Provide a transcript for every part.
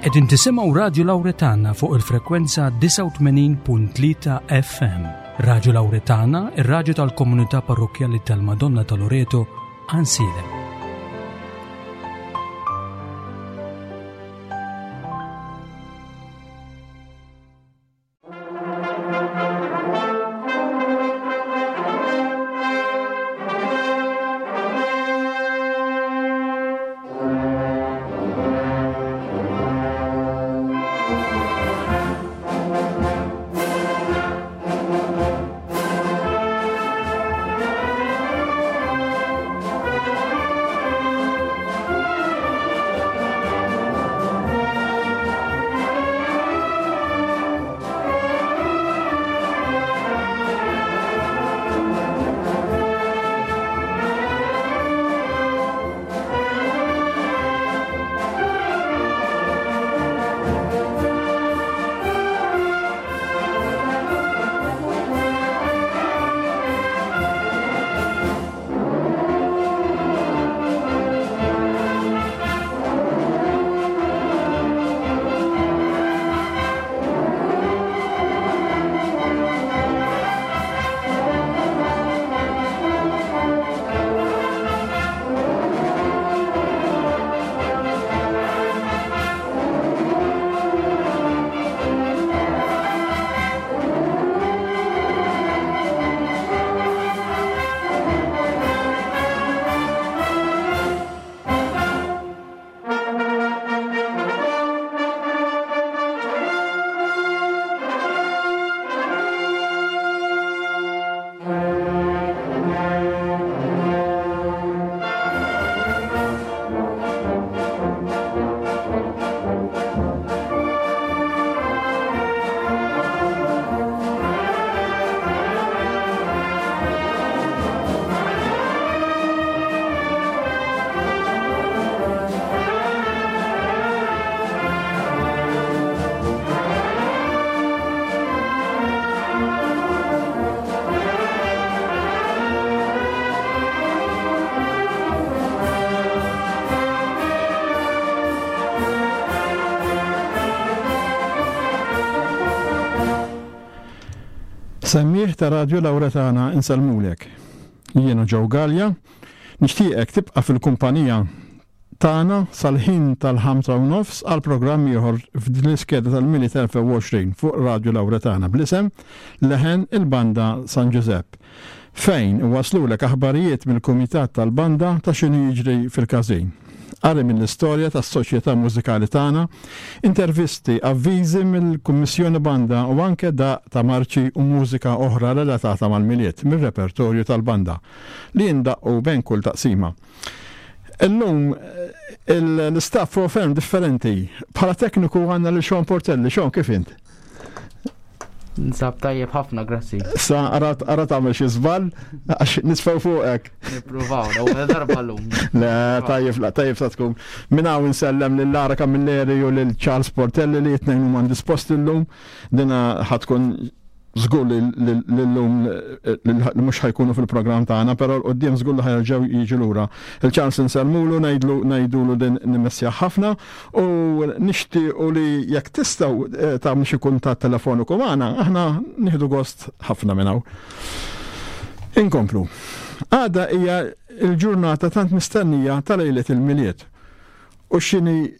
Qegħdin tisimgħu Radju Lawretana fuq il-frekwenza 89.3 FM. Radju Lawretana, ir-radju tal-komunità parrokkjali tal-Madonna ta' Loreto, Għansielem. Semmiegħ ta' Radju Lawretana insellmulek. Jiena Joe Galea, nixtieqek tibqa' fil-kumpanija tagħna sal-ħin tal-ħamsa u nofs għal programm ieħor f'din l-iskeda tal-Milied 2020 fuq Radju Lawretana bl-isem Leħen il-Banda San Ġużepp, fejn iwasslulek aħbarijiet mill-Kumitat tal-Banda ta' x'inhu jiġri fil-każin. Qari mill-istorja tas-soċjetà mużikali tagħna, intervisti, avviżi mill-Kummissjoni Banda u anke daqq ta' marċi u mużika oħra relatata mal-Milied mir-repertorju tal-banda li jindaqqu bejn kull taqsima. Illum l-istaff huwa ferm differenti. Bħala tekniku għandna lil Sean Portelli. Sean, kif int? Nsab tajjeb ħafna, grazzi. Sa ara tagħmel xi żball għax nisfew fuqek. Nippruvaw, l-ewwel darba llum. Le, tajjeb, la, tajjeb sa tkun. Minn hawn insellem lil Lara Camilleri u lil Charles Portelli li t-tnejn huma indisposti llum. Dina ħa tkun żgur li llum li mhux ħa jkunu fil-programm tagħna, però 'l quddiem żgur li ħa jerġgħu jiġu lura. Il-Charles insellmulu, ngħidlu ngħidulu din nimmissjah ħafna u nixtiequ li jekk tistgħu tagħmlu xi kuntatt telefoniku magħna, aħna nieħdu gost ħafna minn hawn. Inkomplu. Għada hija l-ġurnata tant mistennija ta' lejlet il-Milied. U x'inhi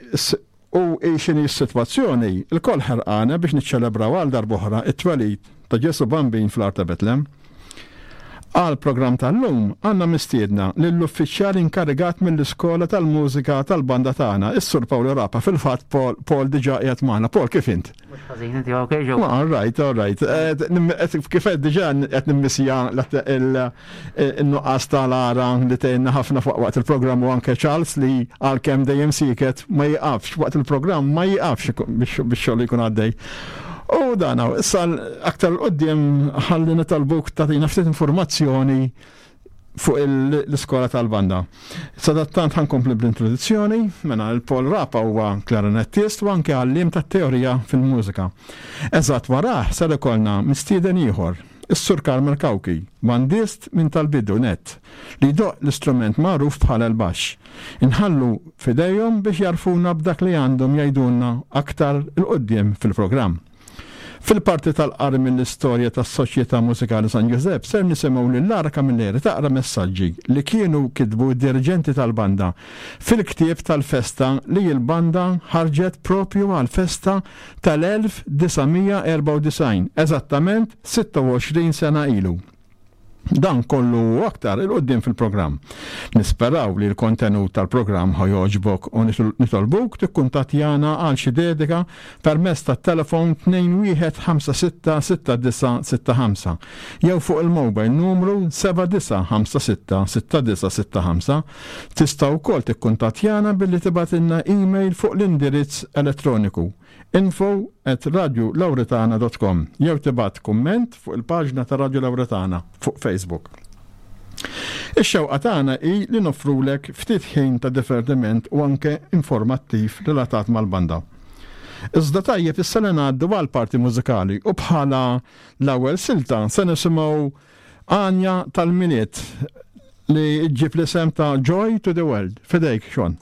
U hi x'inhi s-sitwazzjoni, ilkoll ħerqana biex niċċelebraw għal darb'oħra t-twelid ta' Ġesù Bambin fl-għar ta' Betlem. Għall-programm tal-lum għandna mistiedna lill-uffiċjal inkarigat mill-iskola tal-mużika tal-banda tagħna, is-Sur Paolo Rapa. Fil-fatt Paul, Paul diġà qiegħed magħna. Paul, kif int? Mhux ħażin, inti ok ġew? All right, all right. Eh, kif qed diġà qed nimmissja in-nuqqas ta' Lara li tgħinna ħafna fuq waqt il-programm u anke Charles li għalkemm dejjem sieket ma jiqafx waqt il-programm ma jiqafx biex xogħol jkun għaddej. U dan issa aktar l-qoddim ħalli nitalbuk tagħtina ftit informazzjoni fuq l-iskola tal-banda. Sadattant ħankompli bl-introduzzjoni, mela il-Paul Rapa huwa klarinettist u anke għalliem tat-teorija fil-mużika. Eżatt warah ser ikollna mistieden ieħor. is-Sur Carmel Cauchi, bandist minn tal-bidu nett, li jdoqq l-istrument magħruf bħala l-baxx. Inħallu f'idejhom biex jgħarrfuna b'dak li għandhom jgħidulna aktar 'il quddiem fil-programm. Fil-parti tal-qari mill-istorja tas-Soċjetà Mużikali San Ġużepp ser nisimgħu lil Lara Camilleri taqra messaġġi li kienu kitbu d-diriġenti tal-banda fil-ktieb tal-festa li l-banda ħarġet proprju għall-festa tal-1994, eżattament 26 sena ilu. Dan kollu u aktar 'il quddiem fil-programm. Nisperaw li l-kontenut tal-programm ħa jogħġbok u nitolbuk tikkuntattjana għal xi dedika permezz tat-telefon 21566965 jew fuq il-mobile numru 79566965. Tista' wkoll tikkuntattjana billi tibgħatilna email fuq l-indirizz elettroniku info at radiolauretana dot com jew tibgħat kumment fuq il-paġna ta' Radio Lauretana fuq Facebook. Ix-xewqa tagħna hi li noffrulek ftit ħin ta' divertiment u anke informattiv relatat mal-banda. Iżda tajjeb issa li ngħaddu għall-parti mużikali u bħala l-ewwel silta se nisimgħu għanja tal-Milied li ġġib l-isem ta' Joy to the World. Fidejk, Sean.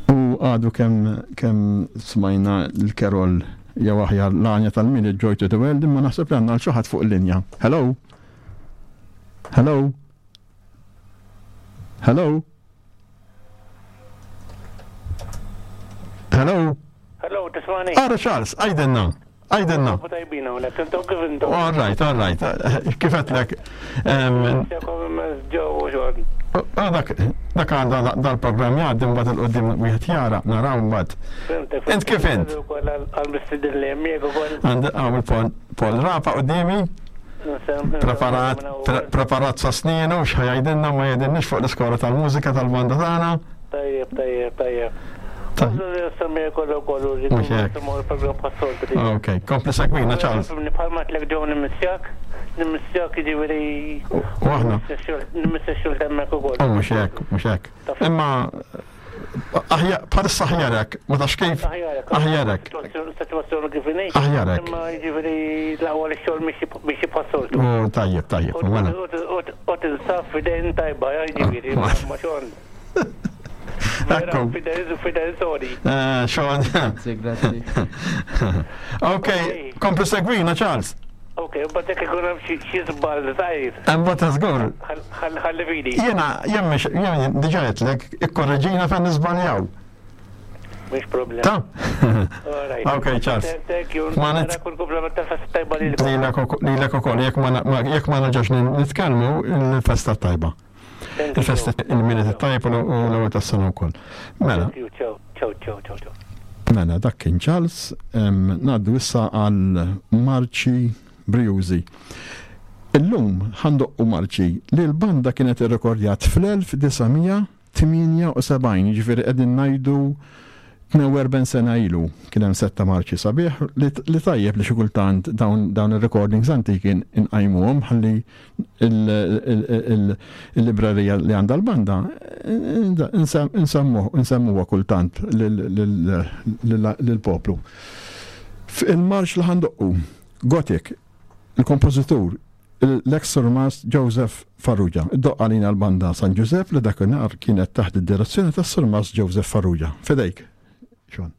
U għadu kemm kemm smajna l-kerol jew aħjar l-għanja tal-Milied Joy to the World imma naħseb li għandna l xi ħadd fuq il-linja. Hello? Hello? Hello? Hello? Hello, tismani? Ara Charles, għajdenna. Għajdenna. Tajbina, unek, intom kif intom? All right, all right. Kif għetlek? Ah, dak dak għandha dal-programm jgħaddi mbagħad il-qudiem wieħed jara, naraw mbagħad. Int kif int? Għal-mistidin li jemmiek ukoll. Għand hawn il-Paul Rapa quddiemi. Preparat, preparat sa sninu, x'ħajajdilna ma jgħidilniex fuq l-iskola tal-mużika tal-banda tagħna. Tajjeb, tajjeb, tajjeb. Ok, kompli segwina, Charles. Bħalma tlek ġew nimissjak, nimissjak jiġifieri. U aħna. Nimissja xogħol hemmhekk ukoll. U mhux hekk, mhux hekk. Imma bħalissa aħjarek, ma tafx kif. Aħjarek. Situazzjoni kif inhi. Aħjarek. Imma jiġifieri l-aqwa li x-xogħol mixi bħas-soltu. Tajjeb, tajjeb. U tinsab f'idejn tajba, jiġifieri, ma xogħol. Ekku. Fidel, sorry. Eh, Sean. Grazzi, grazzi. Ok, kompli segwina, Charles. Ok, but jekk ikun hemm xi żball żgħir. Hemm ta' żgur. Ħalli fidi. Jiena, jien mhix, jien diġà għedtlek, ikkorreġina fejn niżbaljaw. Mhux problem. Ta? Ok, Charles. Thank you. Ma nit- Kull komplement ta' festa tajba lilek. Lilek ukoll, jekk ma nerġgħux nitkellmu, il-festa tajba. Il-festa il-Milied it-tajjeb u l-ewwel tas-sena wkoll. Mela. Ciao, ciao, ciao, ciao. Mela, dak kien Charles, ngħaddu issa għal marċi brijużi. Illum ħandoqqu marċi li l-banda kienet irrekordjat fl-1978, jiġifieri qegħdin ngħidu 42 sena ilu kien hemm setta marċi sabiħ li tajjeb li xi kultant dawn ir-recordings antiki nqajmuhom ħalli il-librerija li għandha l-banda nsemmuha kultant lill-poplu. Il-marċ li ħandoqqu, Gothic, il-kompożitur l-ex Surmast Joseph Farrugia. Iddoqq għalina l-banda San Ġużepp li dakinhar kienet taħt id-direzzjoni tas-Surmast Joseph Farrugia. F'idejk, Sean.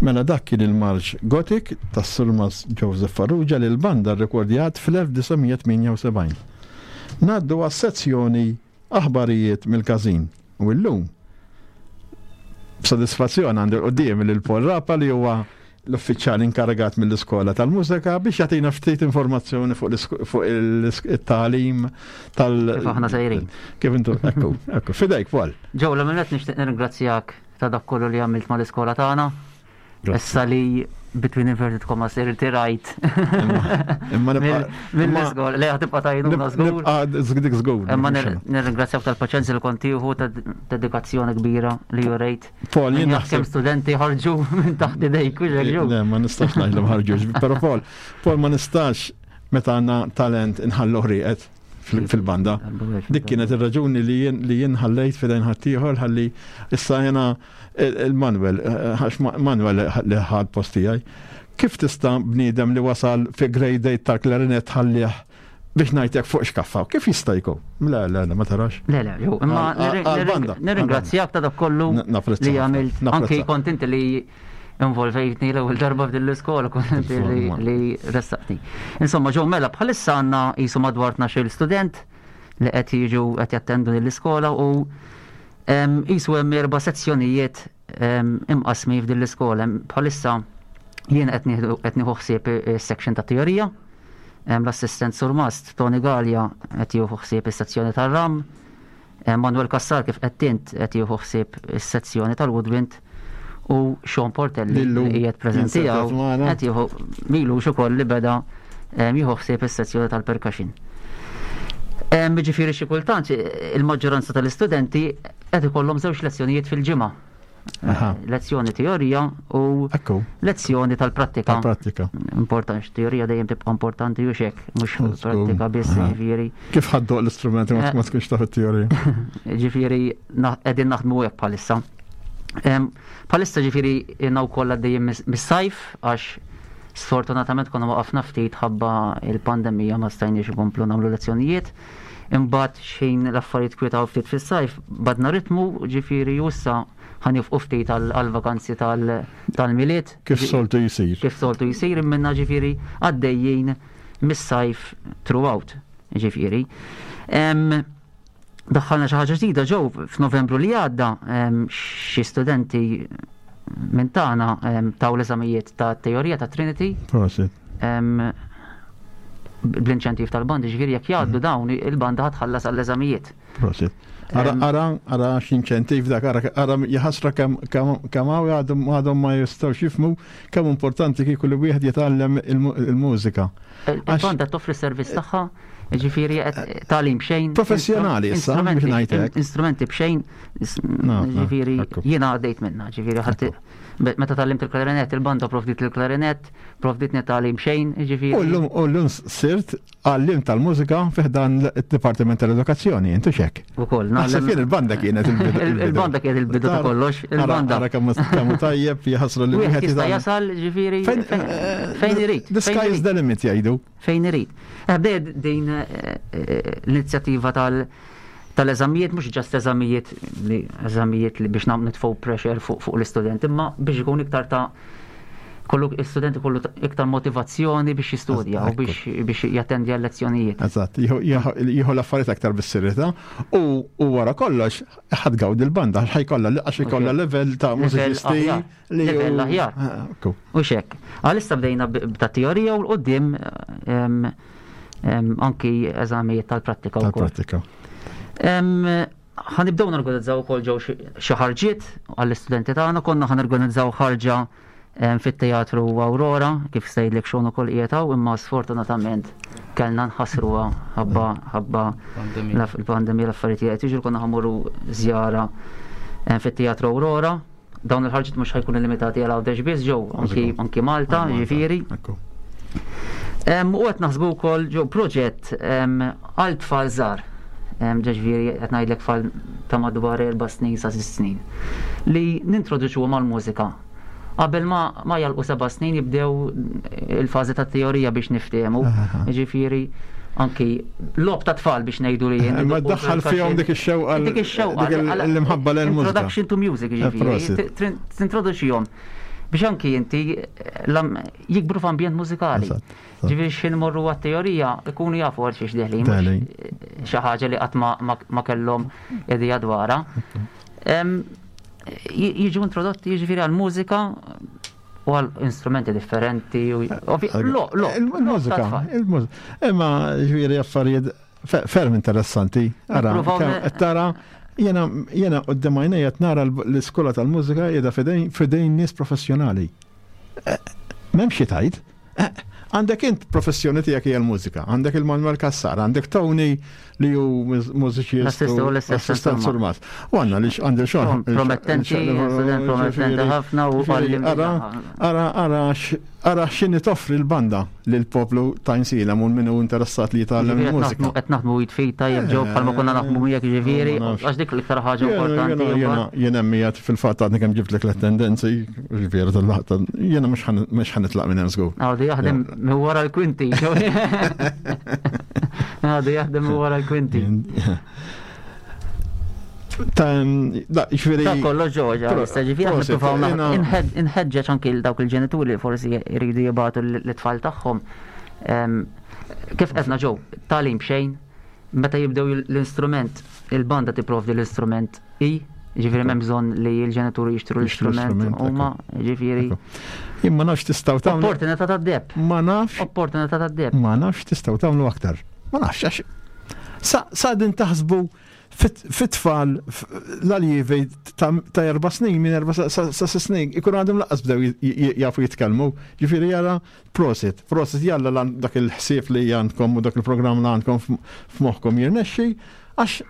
Mela dak kien il-marċ Gothic tas-Surmas Joseph Farrugia li l-banda rrekordjat fl-1978. Ngħaddu għas-sezzjoni Aħbarijiet mill-Każin u illum b'sodisfazzjon għandi quddiemi lil Paul Rapa li huwa l-uffiċjal inkarigat mill-iskola tal-mużika biex jagħtina ftit informazzjoni fuq it-tagħlim tal- Kif aħna sejrin. Kif intu, ekku, ekku, fidejk Paul. Ġew, l-għamil nixtieq nirringrazzjak ta' dak kollu li għamilt mal-iskola tagħna. Issa li between inverted commas irtirajt. Imma mill-iżgol, li tibqa' tajnuna żgur. Nibqa' dik żgur. Imma nirringrazzjak tal-paċenzja li kont tieħu ta' dedikazzjoni kbira li jurejt. Paul, jien naħseb kemm studenti ħarġu minn taħt idejk u ġew. Le, ma nistax ngħidlhom ħarġux, però Paul, Paul ma nistax meta għandna talent inħallu ħrieqet fil-banda. Dik kienet ir-raġuni li jien li jien ħallejt fidejn ħaddieħor ħalli issa jena il-Manuel, għax Manuel li ħad post tiegħi. Kif tista' bniedem li wasal fi grade 8 tal-klarinet ħallih biex ngħidlek fuq xkaffa, kif jista' jkun? Le, le, le, ma tarax. Le, le, jo, imma nirringrazzjak ta' dak kollu li għamilt. Anki kont inti li involvejtni l-ewwel darba f'din l-iskola kont li, li ressaqtni. Insomma, ġew mela bħalissa għandna qisu madwar 12 student li qed jiġu qed jattendu l-iskola u qisu hemm erba' sezzjonijiet imqasmi f'din l-iskola. Bħalissa jien qed nieħu ħsieb is-section ta' teorija, l-assistent surmast Tony Gallia qed jieħu ħsieb is-sezzjoni tar-ram, Manuel Cassar kif qed int qed jieħu ħsieb is-sezzjoni tal-Woodwind u Sean Portelli li qiegħed preżenti hawn qed jieħu milux ukoll li beda jieħu ħsieb is-sezzjoni tal-percussion. Ġifieri xi kultant il-maġġoranza tal-istudenti qed ikollhom żewġ lezzjonijiet fil-ġimgħa. Lezzjoni teorija u lezzjoni tal-prattika. Tal-prattika. Importanti, teorija dejjem tibqa' importanti u xek, mhux prattika biss, ġifieri. Kif ħaddoq l-istrumenti ma eh. tkunx taf it-teorija? Ġifieri qegħdin naħdmu hekk bħalissa. Bħalissa ġifieri jiena wkoll għaddejjin mis-sajf għax sfortunatament konna waqafna ftit ħabba il-pandemija ma stajniex ikomplu nagħmlu lezzjonijiet. Imbagħad xejn l-affarijiet kwietaw ftit fis-sajf, badna ritmu, ġifieri u issa ħa nifqu ftit għall-vakanzi tal-Milied. Kif soltu jsir. Kif soltu jsir imminna ġifieri għaddejjin mis-sajf throughout, ġifieri. Daħħalna xi ħaġa ġdida ġew f'Novembru li għadda xi studenti minn tagħna taw l-eżamijiet ta' teorija ta' Trinity. Prosit. Bl-inċentiv tal-banda, ġifieri jekk jgħaddu dawn il-banda ħatħallas għall-eżamijiet. Prosit. Ara, ara, ara x'inċentiv dak, ara, ara jħasra kemm hawn għadhom ma jistgħux jifhmu kemm importanti kieku li wieħed jitgħallem il-mużika. Il-banda toffri s-servizz tagħha Ġifieri qed tagħlim b'xejn. Professjonali issa, biex ngħidlek. Instrumenti b'xejn. Ġifieri jiena għaddejt minna, ġifieri ħadd meta tgħallimt il-klarinet, il-banda provdit il-klarinet, provditni tagħlim xejn, ġifieri. U llum sirt għallim tal-mużika fih dan id-Dipartiment tal-Edukazzjoni, intu xek. Ukoll, naħseb jien il-banda kienet il-bidu. Il-banda kienet il-bidu ta' kollox, il-banda. Ara kemm tajjeb jħassru li wieħed jista' jasal ġifieri fejn irid. The sky is the limit jgħidu. Fejn irid. Eh, bdejt din eh, eh, l-inizjattiva tal- tal-eżamijiet, mhux ġast eżamijiet li eżamijiet li biex nagħmlu nitfgħu pressure fuq fuq l-istudent, imma biex ikun iktar ta' kollu l-istudent ikollu iktar motivazzjoni biex jistudja u biex biex jattendi għal lezzjonijiet. Eżatt, jieħu l-affarijiet aktar bis-serjetà u wara kollox ħadd gawdi l-banda ħajkollha għax ikollha level ta' mużiċisti Livell aħjar. Ah, u xek. Għalissa bdejna ta' teorija u l-qoddim anki eżamijiet tal-prattika. Tal-prattika. Ħanibdew norganizzaw ukoll ġew xi ħarġiet għall-istudenti tagħna, konna ħanorganizzaw ħarġa fit-teatru Aurora, kif sejlek xogħol ukoll qiegħed imma sfortunatament kellna nħassruha ħabba ħabba il-pandemija l-affarijiet qed jiġru konna ħamuru żjara fit-teatru Aurora Dawn il-ħarġiet mhux ħajkunu limitati għal Għawdex biss ġew anki anki Malta, ġifieri. U qed naħsbu wkoll ġew proġett għal tfal żgħar. Ġifieri qed ngħidlek tfal ta' madwar erba' snin sa sitt snin. Li nintroduċuhom għall-mużika. Qabel ma ma jalqu seba' snin jibdew il-fażi ta' teorija biex niftehmu. Ġifieri anki lob ta' tfal biex ngħidu li jien. Ma ddaħħal fihom dik ix-xewqa. Dik ix-xewqa. L-imħabba l mużika Introduction to music eh, ġifieri. Tintroduċihom. Biex anki inti jikbru f'ambjent mużikali. Ġifieri x'ħin morru għat-teorija ikunu jafu għal xiex deħlin. Xi ħaġa li qatt ma kellhom idea dwarha. Jiġu introdotti jiġifieri għall-mużika u għal instrumenti differenti. Il-mużika, il-mużika. Imma ġifieri affarijiet ferm interessanti. Ara, tara, jena jena qoddim għajnejja nara l-iskola tal-mużika qiegħda fidejn nies professjonali. Eh, m'hemm xi tajt. Eh, għandek int professjoni tiegħek hija l-mużika, għandek il-Manuel Cassar, għandek Tony li hu mużiċist assistent surmat. U għandna li għandi xogħol. Promettenti, promettenti ħafna u ara ara ara ara x'inhi toffri l-banda lil poplu ta' Insilem u min hu interessat li jitgħallem il-mużika. Qed naħdmu jitfit tajjeb ġew bħalma konna naħdmu miegħek jiġifieri, għax dik l-iktar ħaġa importanti. Jien hemm qiegħed fil-fatt għadni kemm ġibtlek l-attendenzi, jiġifieri tal-laqta, jiena mhux ħanitlaq minn hemm żgur. Għadu jaħdem minn wara l-kwinti. Għadu jaħdem minn wara l-kwinti. Ta' ġifieri. Ta' kollox ġoġa, issa ġifieri aħna nippruvaw inħeġġeġ anki l dawk il-ġenituri li forsi jridu jibgħatu l-tfal tagħhom. Kif qedna ġew, tagħlim b'xejn, meta jibdew l-instrument, il-banda tipprovdi l-instrument i, ġifieri m'hemm bżonn li l-ġenituri jixtru l-istrument huma, ġifieri. Jien ma nafx tistgħu tagħmlu. Opportunità tad-deb. Ma nafx. Opportunità tad-deb. Ma nafx tistgħu tagħmlu aktar. Ma nafx għax sa din taħsbu fit-tfal l-aljivi ta' erba snin, minn erba sa snin, ikun għadhom laqqas bdew jafu jitkellmu. Ġifieri jara prosit, prosit jalla dak il-ħsieb li għandkom u dak il-programm li għandkom f'moħħkom jirnexxi, għax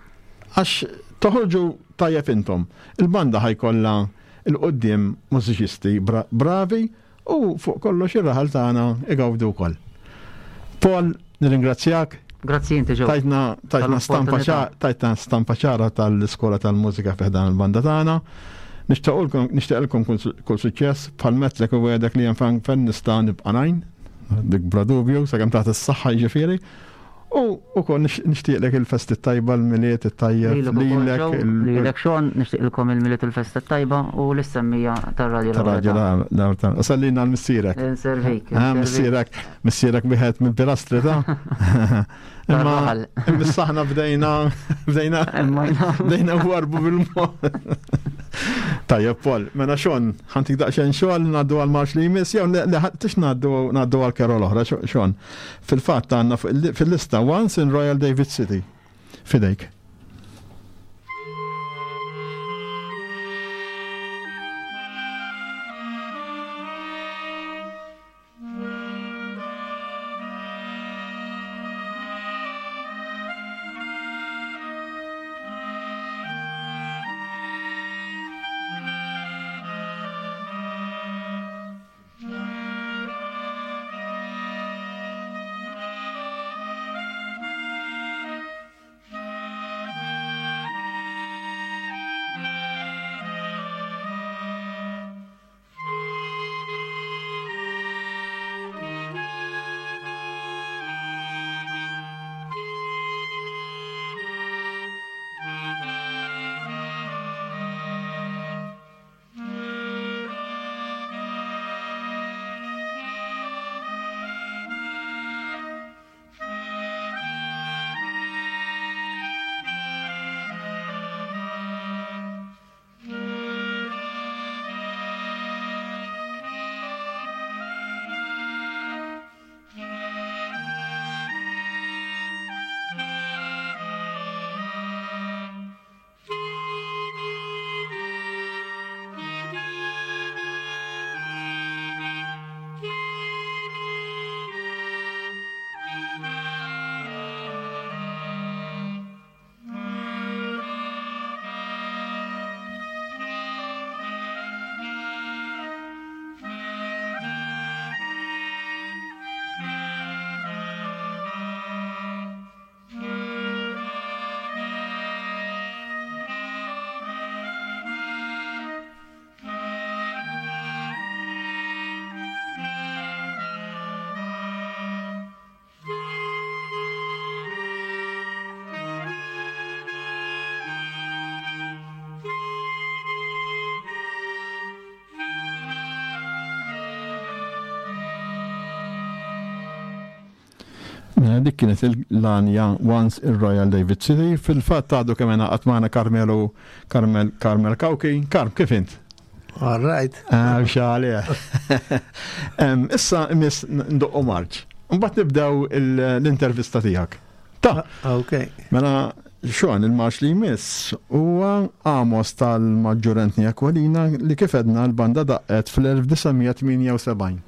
għax toħorġu tajjeb intom. Il-banda ħajkollha il-qoddim mużiċisti bravi U fuq kollox ir-raħal tagħna igawdu wkoll. Paul, nirringrazzjak. Grazzi inti ġew. Tajtna tajtna stampa tajtna stampa ċara tal-iskola tal-mużika fi ħdan il-banda tagħna. Nixtiequlkom nixtieqilkom kull suċċess bħal metlek u għedek li hemm fejn nista' nibqa' ngħin, dik bla dubju, sakemm taħt is-saħħa jiġifieri. U ukoll nixtieqlek il-festi tajba l-Milied it-tajjeb lilek. Lilek Sean, nixtieqilkom il-Milied u l-festa tajba u l-semmija tar-Radju Tar-Radju L-Awrità. U sallina għal missierek. Inservik. Ah, missierek, missierek wieħed mill-pilastri ta' Imma imma bdejna bdejna bdejna warbu bil-mod. Tajjeb Paul, mela Sean, ħantik daqsxejn xogħol ngħaddu għal marx li jmiss jew le tix ngħaddu ngħaddu għal kerol oħra Sean. Fil-fatt għandna fil-lista Once in Royal David City. Fidejk. Mela dik kienet l-għanja Once in Royal David City. Fil-fatt għadu kemm ingħaqad magħna Carmelo Carmel Carmel Cauchi. Karm, kif int? All right. Ah, xali. Issa imiss ndoqqu marċ. Mbagħad nibdew l-intervista tiegħek. Ta. Ah, ok. Mela Sean, il-marċ li jmiss huwa Amos tal-Maġġur Anthony Aquilina li kif edna l-banda daqqet fl-1978.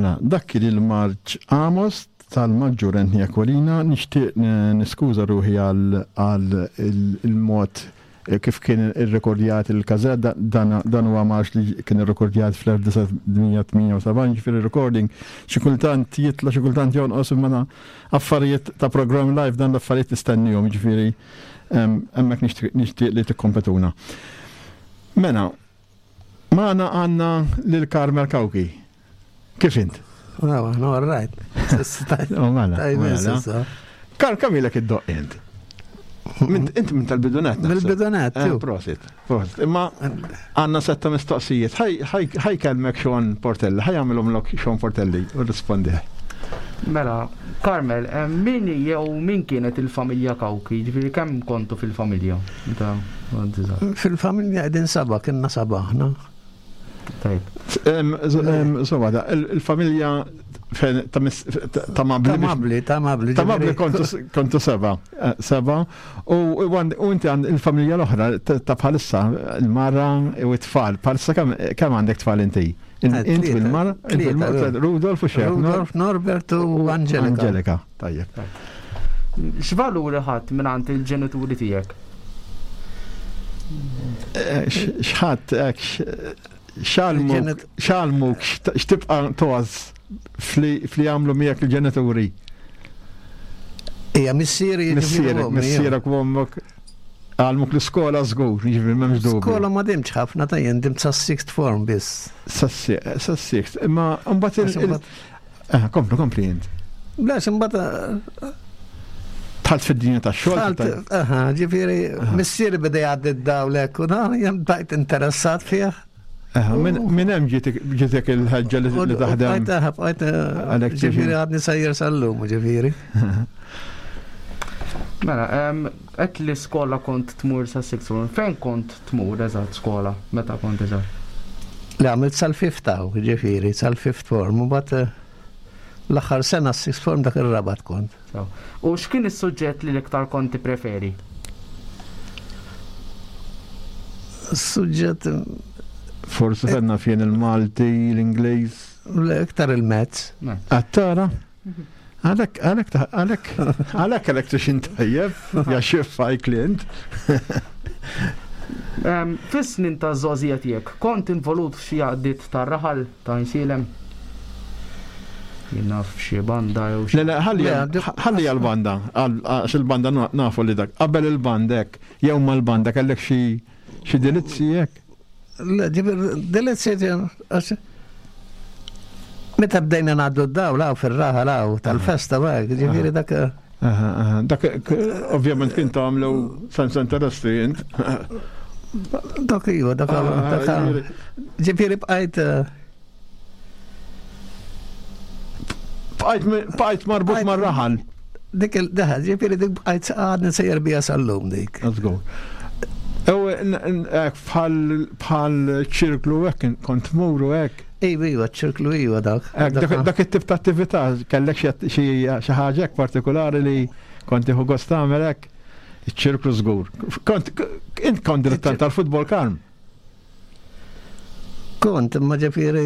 Mela, dak kien il-marċ Amos tal-Maġġur Anthony Aquilina, nixtieq niskuża ruħi għal il-mod kif kien irrekordjat il-każett, dan huwa marx li kien irrekordjat fl-1978, ġifieri recording xi kultant jitla' xi kultant jonqos imma affarijiet ta' programm live dan l-affarijiet nistennihom, ġifieri hemmhekk nixtieq li tikkompetuna. Mela, Magħna għandna lil Carmel Cauchi. Kif int? No, no, all right. Oh, mela. Mela. Kar, kemm ilek id-doq int? Int minn tal-bidunet. Mill-bidunet. Eh, prosit, prosit. Imma għanna setta mistoqsijiet. Ħaj kelmek Sean Portelli, ħaj għamilhom lok Sean Portelli u rispondi. Mela, Carmel, eh, min jew min kienet il-familja Kawki? Ġifieri kemm kontu fil-familja? Fil-familja qegħdin saba, kienna saba aħna. Tajb. Insomma, il-familja ta' Mabli. Ta' Mabli, ta' Mabli. Ta' Mabli kontu seba. Eh, seba. U inti għand il-familja l-oħra ta' bħalissa, il-mara u t-tfal. Bħalissa kemm għandek tfal inti? Int il-mara, Rudolf u xejn. Rudolf, Norbert u Angelika. Angelika, tajjeb. X'valuri ħadd mingħand il-ġenituri tiegħek? Eh, x'ħadd hekk x'għalmuk x'tibqa' toż fli għamlu miegħek il-ġenituri? Ija missieri missierek, missierek u ommok għalmuk l-iskola żgur, jiġifieri m'hemmx dubju. Skola ma dimx ħafna ta' jien dimt sa sixth form biss. Sa sixth, imma mbagħad Eh, kompli, kompli int. Le, imbagħad eh, Tħalt fid-dinja ta' xogħol. Aha, ġifieri missieri beda jgħaddi d-dawlek u dan jien bdajt interessat fih. Minn hemm ġietek il-ħeġġa li taħdem. Bqajt bqajt eh, ġifieri għadni sejjer sal-lum, ġifieri. Mela, qed li skola kont tmur sa sixth form, fejn kont tmur eżatt skola meta kont eżatt? Li għamilt sal-fifth hawn, ġifieri, sal-fifth form, u mbagħad eh, l-aħħar sena s-sixth form dak ir-rabat kont. U x'kien is-suġġett li l-iktar kont tippreferi? Suġġett. Forsi fenna fien il-Malti, l-Ingliż. Iktar il-mezz. Għattara? Għalek, għalek, għalek, għalek electrician tajjeb, ja xiffa klient. Fis-snin ta' żgħożija tiegħek, kont involut f'xi għaqdiet tar-raħal ta' Għajnsielem? Jien naf xi banda jew xi. Le, le, ħalli għall-banda, għax il-banda nafu li dak. Qabel il-banda hekk, jew mal-banda kellek xi xi delizzi hekk? Le, delizzi Meta bdejna ngħaddu d-dawl hawn fir-raħal hawn tal-festa bak, ġifieri dak. Dak ovvjament kien tagħmlu sense interesti int. Dak iva, dak ah, ġifieri bqajt eh, Bqajt marbut mar-raħal. Dik il-daħal, ġifieri dik bqajt għadni sejjer bija sal-lum dik. Let's go. Ew, bħal ċirklu hekk kont tmuru hekk. Iva, iva, ċirklu iva dak. Dak it-tip ta' attività kellek xi ħaġa hekk partikolari li kont tieħu gost tagħmel hekk. Iċ-ċirklu żgur. Kont int kont dilettant tal-futbol karm. Kont, imma ġifieri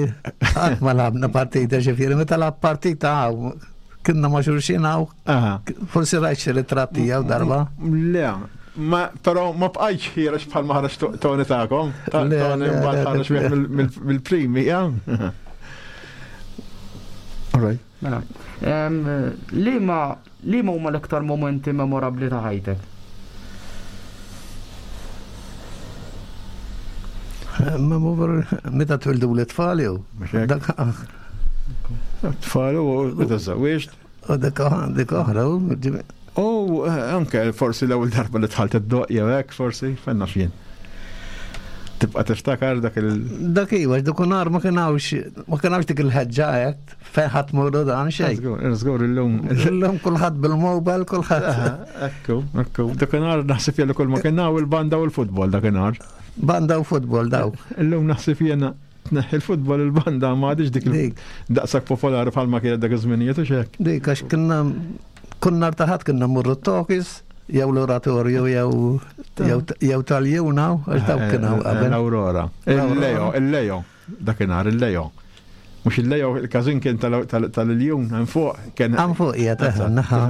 qatt ma lagħbna partita ġifieri, meta lagħab partita hawn kienna ma' xulxin hawn. Forsi rajt xi ritratt tiegħu darba. Le, ma però ma bqajtx ħiereġ bħal ma ħareġ Tony tagħkom. Tony mbagħad ħareġ wieħed mill-primi, ja. All right. Mela, liema Liema huma l-iktar mumenti memorabbli ta' ħajtek? Meta twildu l-tfal jew? Tfal u meta żewwiġt. U dik dik oħra. U eh, anke forsi l-ewwel darba li dħalt id-doq jew hekk forsi, fenna fien. Tibqa' tiftakar dak il. Dak iva, dak nhar ma kien ma kien dik il-ħeġġa hekk. Fejn ħadd muru dan xejn. Żgur, żgur illum. Illum kulħadd bil-mobile, kulħadd. Ekku, ekku. Dakinhar naħseb jien kull ma kien hawn il-banda u l-futbol dakinhar. Banda u futbol daw. Illum naħseb jiena tneħħi l-futbol il-banda ma għadix dik daqshekk popolari bħalma kienet dak iż-żminijiet u xek. Dik għax kienna kull nhar ta' ħadd kienna mmorru t-tokis jew l-oratorju jew jew tal-juna għax dawk kienu qabel. L-Aurora. Il-Leo, il-Leo. Dakinhar il-Leo. Mhux il-lejo il-każin kien tal-iljun hemm fuq kien. Hemm fuq qiegħed eħe naħa.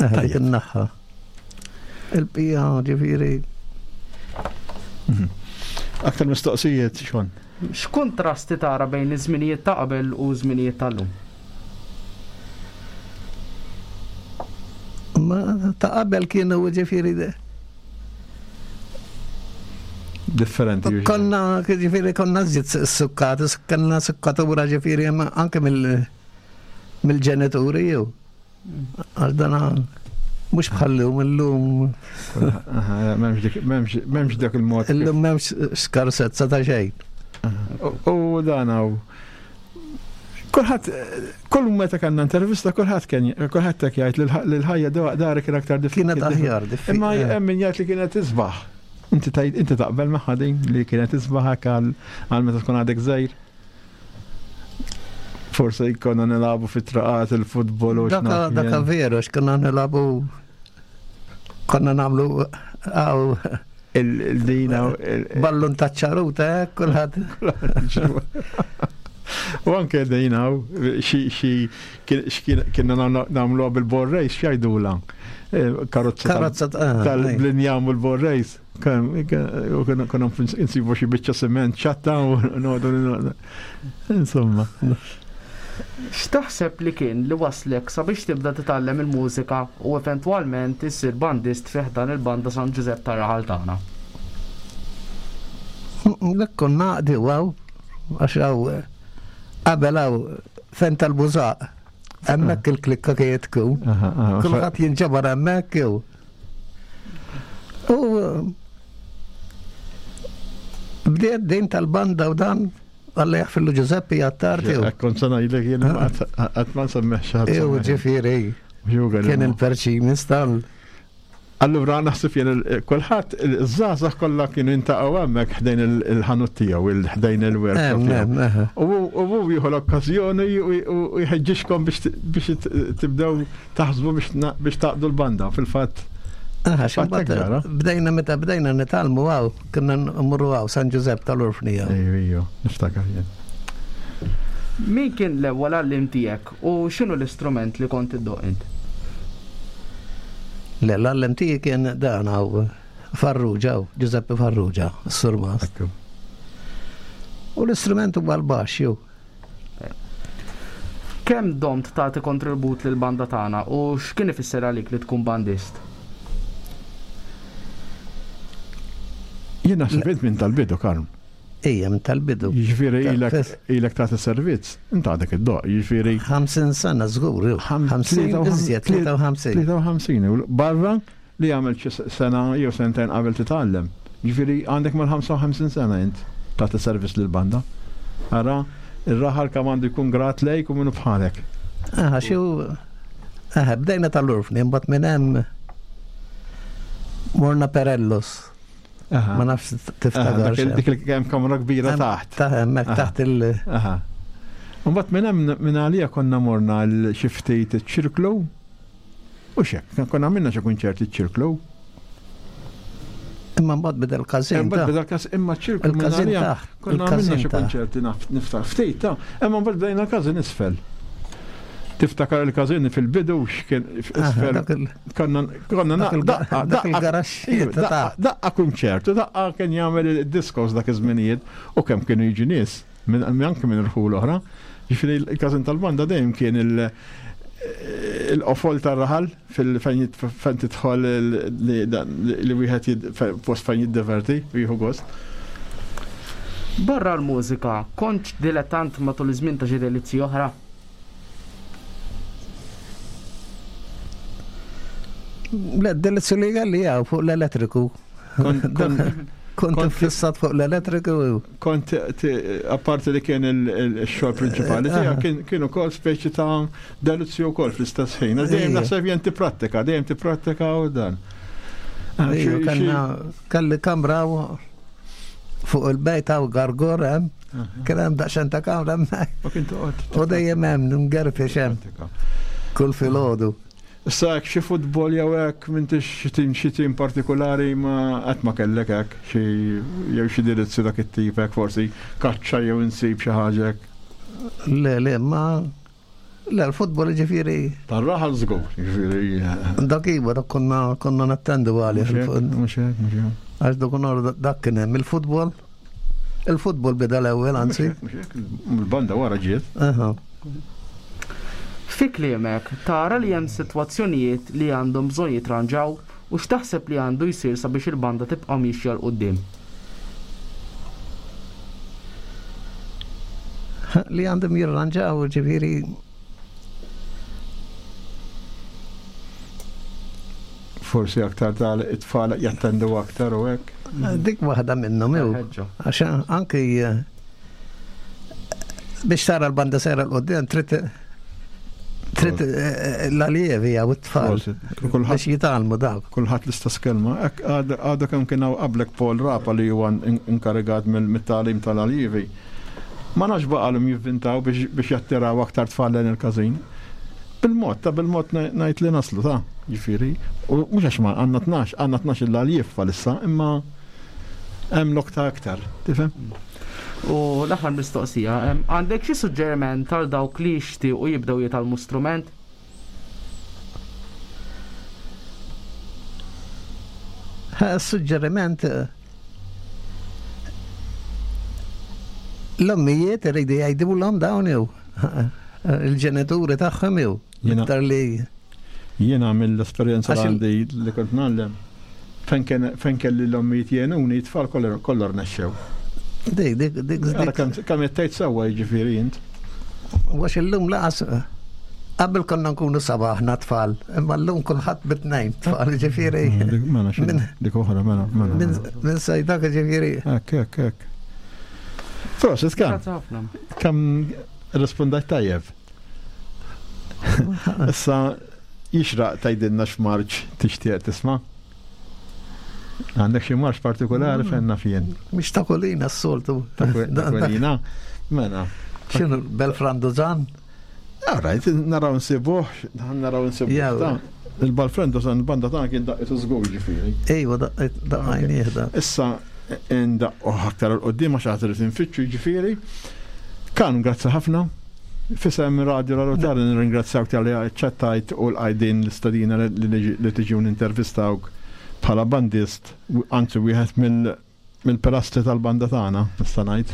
Eħe dik in-naħa. Il-pija ġifieri. Mhm. Aktar mistoqsijiet xon. X'kuntrasti tara bejn iż-żminijiet ta' qabel u żminijiet tal-lum? Ma ta' qabel kienu ġifieri Differenti. Konna, ġifiri, konna zid sukkat, konna sukkatura ġifiri, anke mill-ġenituri jew. Għal dana, mux bħallum, illum. Memx dak il-mod. Illum memx skarsezza ta' xejn. U dan għaw. Kulħadd, kull meta kellna intervista, kulħadd kien kulħadd hekk jgħid li l-ħajja dari kien aktar diffiċli. Kienet aħjar, diffiċli. Imma eh. hemm min jgħid li kienet isbaħ. Inti tgħid inti taqbel magħha din li kienet isbaħ hekk għal meta tkun għadek żgħir. Forse jkollna nilagħbu fit-traqat il-futbol u x'naf. Daka veru x'konna nilagħbu konna nagħmlu għaw il-dina. Ballun ta' ċaruta, eh, kulħadd. U anke dina, xi kienna nagħmlu bil-ball race, x'jgħidula? Eh, karozza Karozza eh, tal-blinjam u l-ball race. U konna nsibu xi biċċa sement ċatta u noqogħdu Insomma. X'taħseb li kien li wasslek sabiex tibda titgħallem il-mużika u eventwalment issir bandist fi ħdan il-Banda San Ġużepp tar-raħal tagħna? Dak konna naqdi hawn għax hawn qabel hawn fejn tal-bużaq. Hemmhekk il-klikka kienet tkun. Kulħadd jinġabar hemmhekk jew. U bdiet din tal-banda u dan Alla jaħfirlu Ġużeppi Attard jew. Kont se ngħidlek jien qatt ma nsemmeħ xi ħadd. Jew ġifieri. Kien il-perċimis tal. Allura naħseb jien kulħadd iż-żgħażagħ kollha kienu jintaqgħu hemmhekk ħdejn il-ħanut tiegħu, ħdejn il-workshop tiegħu. U hu jieħu l-okkażjoni u jħeġġixkom biex tibdew taħsbu biex taqdu l-banda fil-fatt. Bdejna meta bdejna nitgħallmu hawn, konna mmorru hawn San Ġużepp tal-Orfni hawn. Ejju, niftakar jien. Min kien l-ewwel għalliem tiegħek u x'inhu l-istrument li kont iddoqq int? Le, l-għalliem tiegħi kien dan hawn Farrugia, Ġużeppi Farrugia, s-surmast. U l-istrument huwa l-baxx jew. Kemm domt tagħti kontribut lill-banda tagħna u x'kien ifisser għalik li tkun bandist? Jien naħseb int minn tal-bidu, Karm. Ejja, minn tal-bidu. Jiġifieri ilek tagħti servizz, int għadek iddoqq, jiġifieri. 50 sena żgur, 50 iżjed, 53. 53, barra li għamilt xi sena jew sentejn qabel titgħallem. Jiġifieri għandek mal-55 sena int tagħti servizz lill-banda. Ara, ir-raħal kemm għandu jkun grat lejk u minnu bħalek. Aha, xi Aha, bdejna tal-urfni, imbagħad minn hemm morna Perellos. Ma nafx tiftakar. Dik li hemm kamra kbira taħt. Ta' hemmhekk taħt il- Aha. Imbagħad minn hemm minn għalija konna morna l xi ftit iċ-ċirklu U xek, konna għamilna xi kunċerti ċirklu. Imma mbagħad beda l-każin. Imbagħad beda l-każin, imma ċirklu il-każin taħt. Konna għamilna xi kunċerti niftar ftit ta' imma mbagħad bdejna l-każin isfel. Tiftakar il-każin fil-bidu x'kien isfel. Konna konna daqqa daqqa daqqa kunċert u daqqa kien jagħmel id-diskos dak iż-żminijiet u kemm kienu jiġu nies minn anke minn irħul oħra. Ġifieri il-każin tal-banda dejjem kien il- il-qofol tar-raħal fejn tidħol li wieħed post fejn jiddeverti u jieħu gost. Barra l-mużika, kont dilettant matul iż-żmien ta' xi delizzji oħra? Le, delizzju li għalli fuq l-elettriku. Kont fissat fuq l-elettriku. Kont apparti li kien il-xogħol prinċipali tiegħek kien ukoll speċi ta' delizzju wkoll fl-istess ħin. Dejjem naħseb jien tipprattika, dejjem tipprattika u dan. Kelli kamra fuq il-bejt hawn gargor hemm, kien hemm daqsxejn ta' kamra hemmhekk. U dejjem hemm ngerfex hemm. Kull filgħodu. Issa hekk xi futbol jew hekk m'intix xi tim xi tim partikulari ma qatt ma kellek hekk xi jew xi dirizzi dak it-tip hekk forsi kaċċa jew insib xi ħaġa hekk. Le, le, ma le l-futbol ġifieri. Tar-raħal żgur, ġifieri. Dak iva, dak konna konna nattendu għalih. Mhux hekk, mhux hekk. Għax dak dak kien hemm il-futbol. Il-futbol beda l-ewwel anzi. Il-banda wara ġiet. Fi kliemek, tara li hemm sitwazzjonijiet li għandhom bżonn jitranġaw u x'taħseb li għandu jsir sabiex il-banda tibqa' miexja 'l quddiem? Li għandhom jirranġaw, ġifieri Forsi aktar tal it-tfal jattendu aktar u hekk. Dik waħda minnhom jew. Għax anki eh, biex tara l-banda sejra l-qoddim trid trid eh, l-aljevi jew it-tfal biex jitgħallmu dawk. Kulħadd l-istess kelma. Għadha kemm kien hawn qablek Paul Rapa li huwa inkarigat mit-tagħlim tal-aljevi. Ma nafx baqalhom jivvintaw biex jattiraw aktar tfal lejn il-każin. Bil-mod, ta' bil-mod ngħid li naslu ta' ġifieri. U mhux għax ma għandna 12, għandna 12 il-għaljif bħalissa, imma hemm lok ta' aktar, tifhem? U l-aħħar mistoqsija, għandek xi suġġeriment għal dawk li jixtiequ jibdew jitgħallmu strument? Suġġeriment l-ommijiet iridu jgħidulhom dawn jew il-ġenituri tagħhom jew iktar li Jiena mill-esperjenza li għandi li kont ngħallem fejn kelli l-ommijiet jgħinuni t-tfal kollha rnexxew. Dik, dik, dik. Kemm qed tgħid sewwa jiġifieri int. Għax illum laqas qabel konna nkunu saba aħna tfal, imma llum kulħadd bitnejn tfal ġifieri. Mela dik oħra mela mela. Minn sejdak ġifieri. Hekk hekk hekk. Prosit kemm. Kemm rispondajt tajjeb. Issa jixraq tgħidilna x'marċ tixtieq tisma'? Għandek xi marx partikolari fejn naf jien. Mhix ta' kolina s-soltu. Ta' kolina? Mela. X'inhu Belfrandozan? All right, naraw nsibuh, naraw nsibuh. Il-Balfrandozan banda tagħna kien daqqitu żgur ġifieri. Ejwa daqqajnieh da. Issa ndaqqu aktar il qudiem għax għad irid infittxu ġifieri. Kan, grazzi ħafna. Fisem Radio La Rotari nirringrazzjawk talli aċċettajt u lqajt din l-istedina li tiġi u nintervistawk bħala bandist, anzi wieħed mill-pilastri tal-banda tagħna, nista' ngħid,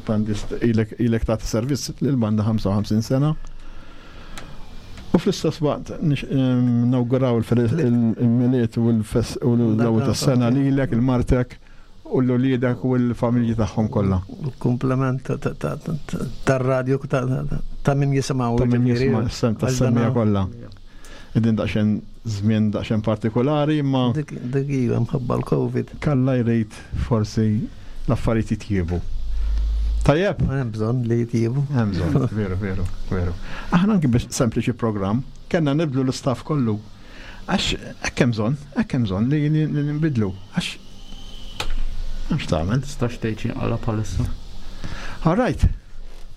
bandist ilek ilek tagħti servizz lill-banda 55 sena. U fl-istess waqt nawguraw il-Milied u l-ewwel tas-sena lilek, il-martek, U l-uliedek u l-familji tagħhom kollha. Komplement tar-radju ta' min jisimgħu. Ta' min jisimgħu, s-sem tas-semmija kollha. Idin daqsxejn żmien daqsxejn partikolari imma. Dik iva mħabba l-Covid. Kalla jrid forsi l-affarijiet jitjiebu. Tajjeb? Hemm bżonn li jitjiebu. Hemm bżonn, veru, veru, veru. Aħna anki biex sempliċi programm, kellna nibdlu l-istaff kollu. Għax hekk hemm bżonn, hekk hemm bżonn li nbidlu. Għax għax tagħmel. Tistax tgħid xi nqala bħalissa. All right.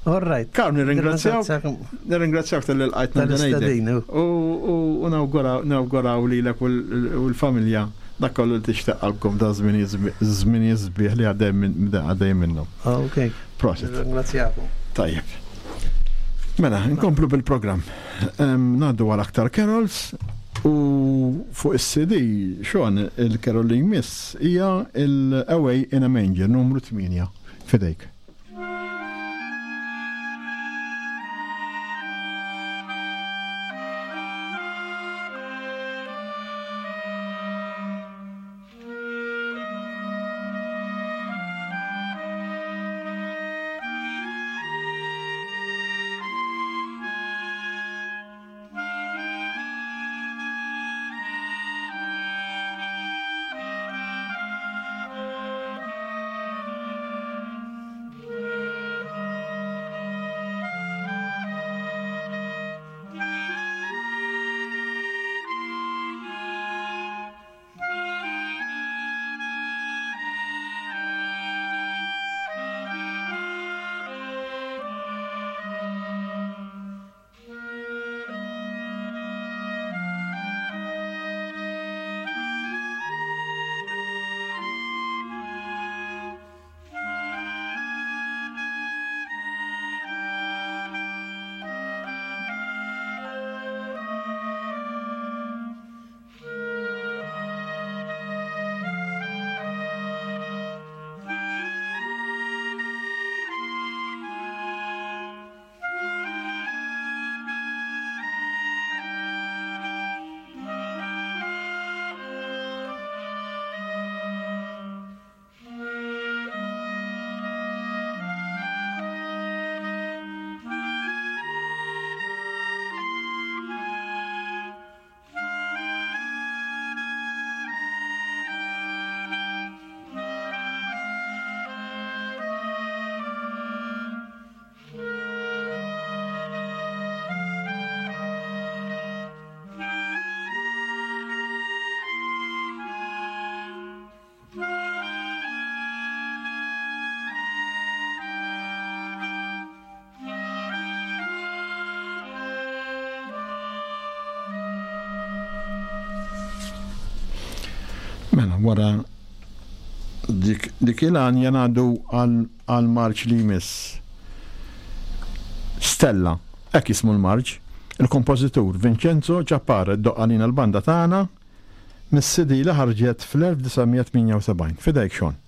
All right. Karl, nirringrazzjawk. Nirringrazzjawk tal-li lqajtna Dan U nawguraw lilek u l-familja dak kollu li tixtieq qalbkom da żmien sbieħ li għaddej minnhom. Ok. Prosit. Nirringrazzjakom. Tajjeb. Mela, nkomplu bil-programm. Ngħaddu għal aktar carols u fuq is-CD Sean il-carol li jmiss hija il-Away in a Manger numru 8 fidejk. Mela, wara dik, dik il-għanja ngħaddu għal marċ li jmiss. Stella, hekk jismu l-marċ. Il-kompożitur Vincenzo Ciappara ddoqq għalina l-banda tagħna mis-CD li ħarġet fl-1978. Fidejk Sean.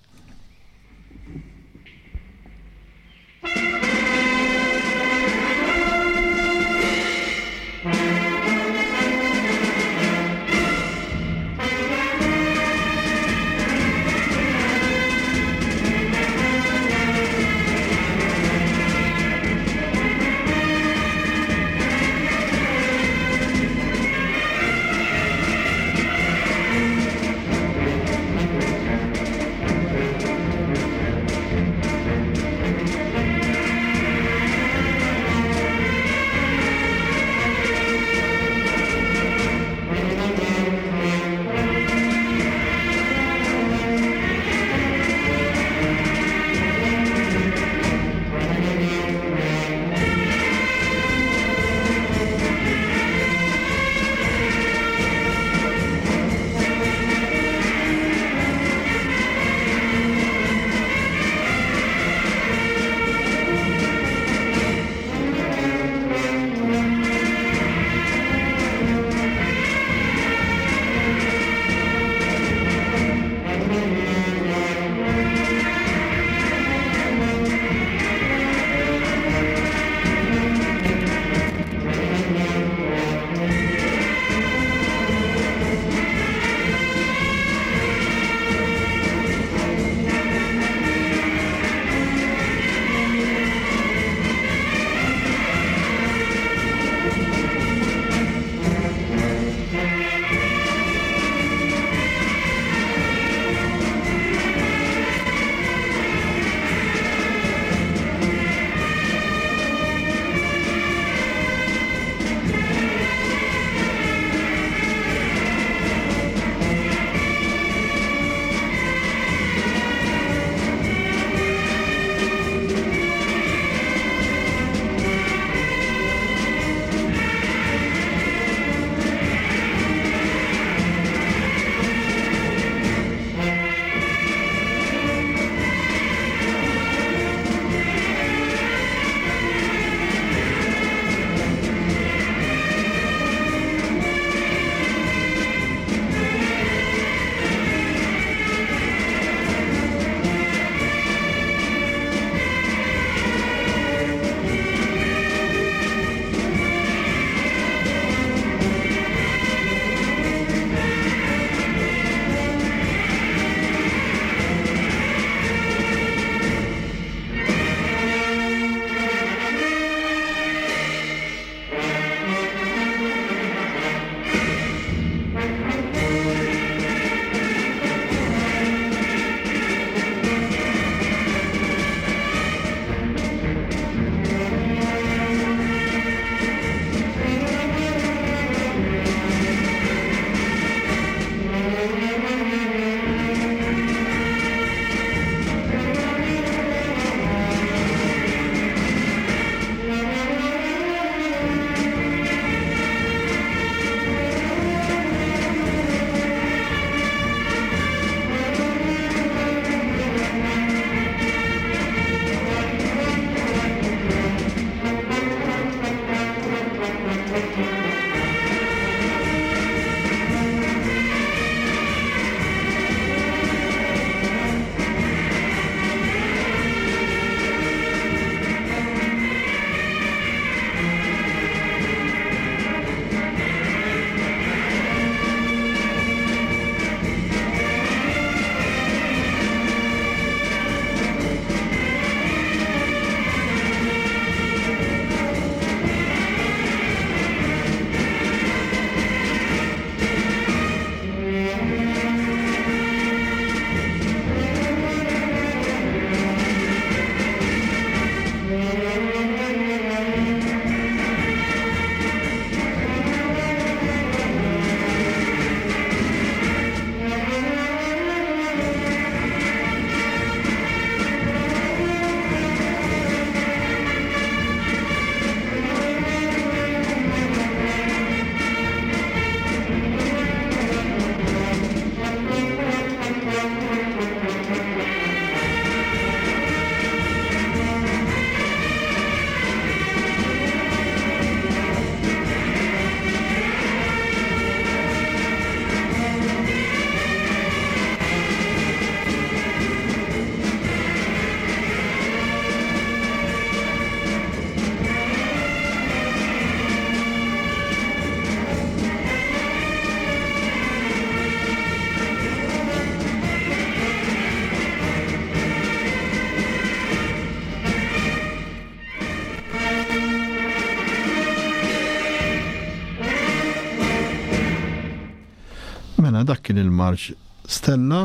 Dak kien il-marċ Stella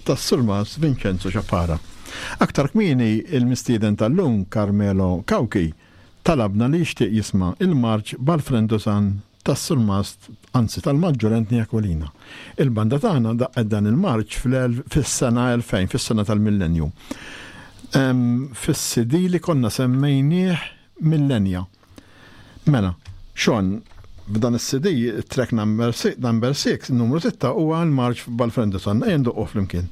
tas-Surmast Vincenzo Ciappara. Aktar kmieni il-mistieden tal-lum Carmelo Cauchi talabna li jixtieq jisma' il-marċ Balfrendosan tas-Surmast, anzi tal-Maġġur Anthony Aquilina. Il-banda tagħna daqqet dan il-marċ fis-sena 2000, fis-sena tal-millenju. Fis-CD li konna semmejnieh Millenja. Mela, Sean, f'dan is-CD, track number 6, numru 6 huwa l-marċ Balfrendosan. Ejja ndoqqu flimkien.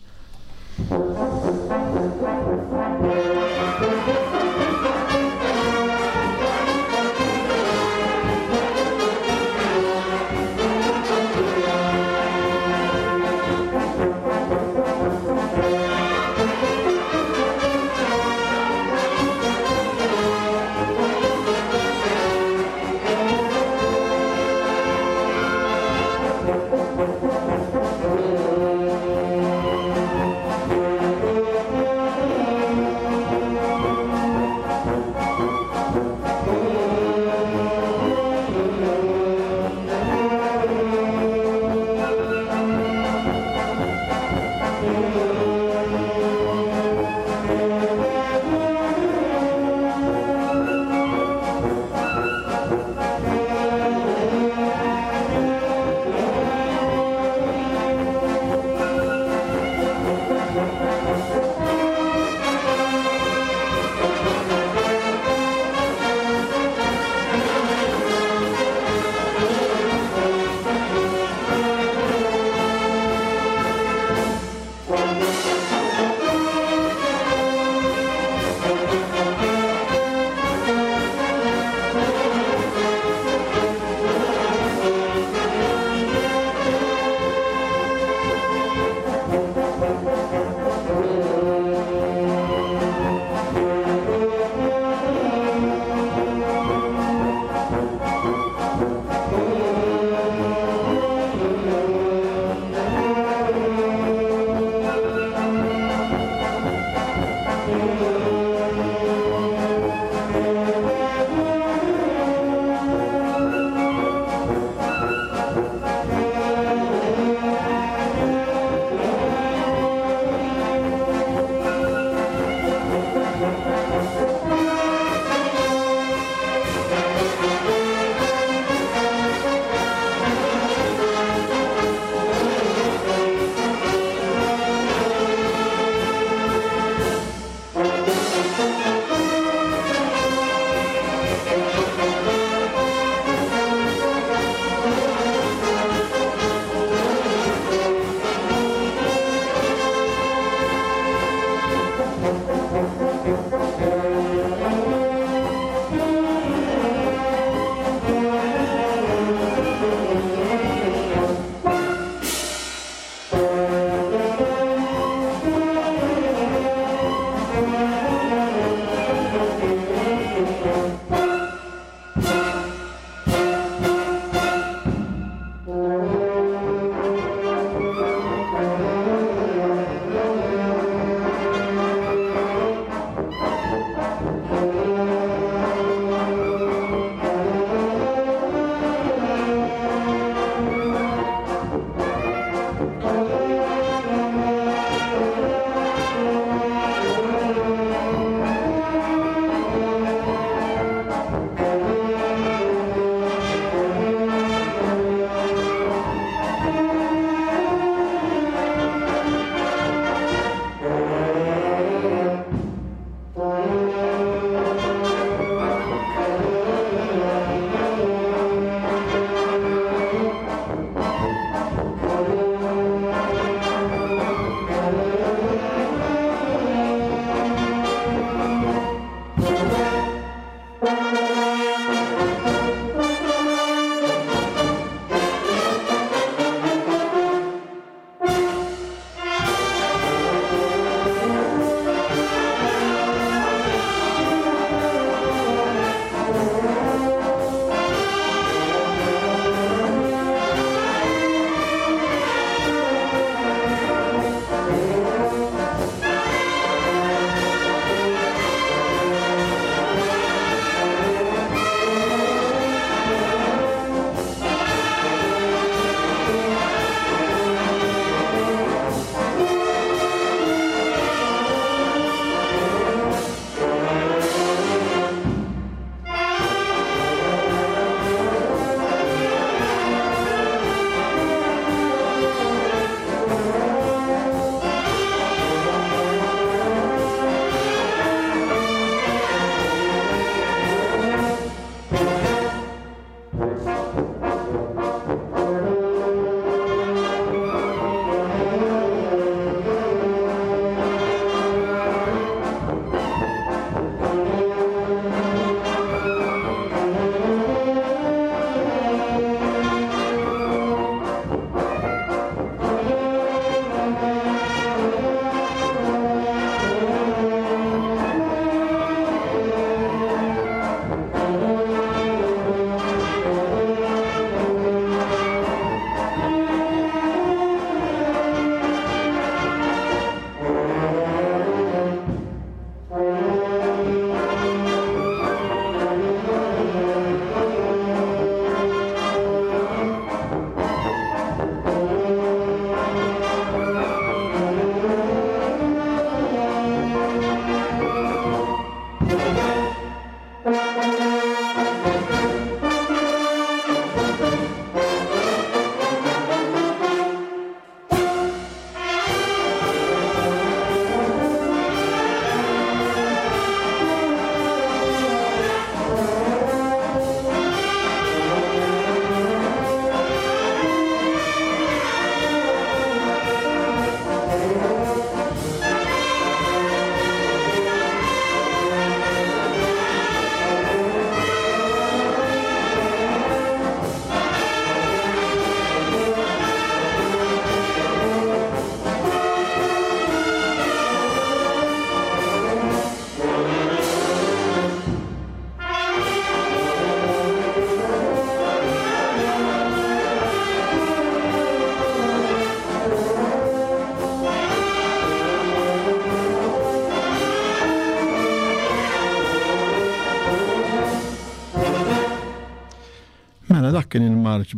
Dak kien il-marċ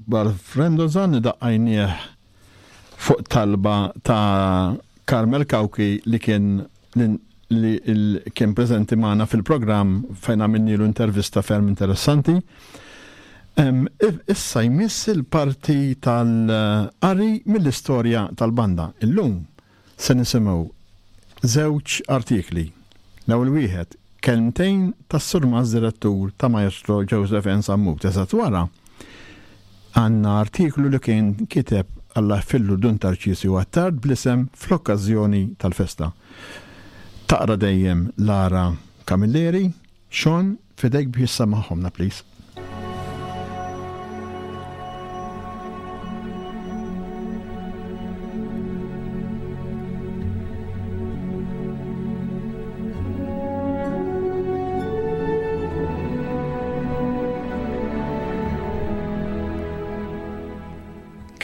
Balfrendozan li daqqajnieh fuq talba ta' Carmel Cauchi li kien li kien preżenti magħna fil-programm fejn għamilnilu intervista ferm interessanti. Issa jmiss il-parti tal-qari mill-istorja tal-banda. Illum Se nisimgħu żewġ artikli. L-ewwel wieħed, kelmtejn tas-Surmast Direttur ta' Maestro Joseph N. Sammut. Eżatt wara, għandna artiklu li kien kiteb Alla jħfirlu Dun Tarċisju Attard bl-isem Fl-okkażjoni tal-festa. Taqra dejjem Lara Camilleri. Sean, f'idejk biex issemmagħhomlna please.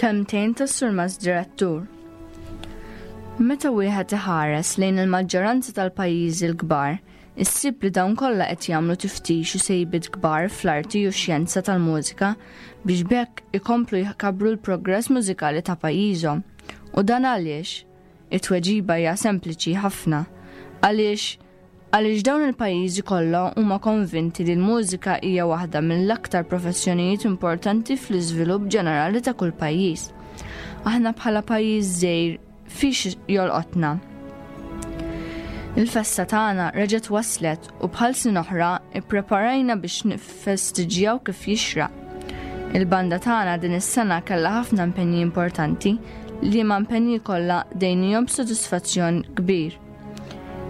Kelmtejn tas-Surmast Direttur. Meta wieħed iħares lejn il-maġġoranza tal-pajjiżi l-kbar, Issib li dawn kollha qed jagħmlu tiftix u sejbiet kbar fl-arti u x-xjenza tal-mużika biex b'hekk ikomplu jkabbru l-progress mużikali ta' pajjiżhom. U dan għaliex? It-tweġiba hija sempliċi ħafna. Għaliex għaliex dawn il-pajjiżi kollha huma konvinti li l-mużika hija waħda mill-aktar professjonijiet importanti fl-iżvilupp ġenerali ta' kull pajjiż. Aħna bħala pajjiż żgħir Fiex jolqotna? Il-festa tagħna reġgħet waslet u bħal snin oħra ippreparajna biex niffestiġjaw kif jixraq. Il-banda tagħna din is-sena kellha ħafna impenji importanti li ma impenji kollha dejnihom b'sodisfazzjon kbir.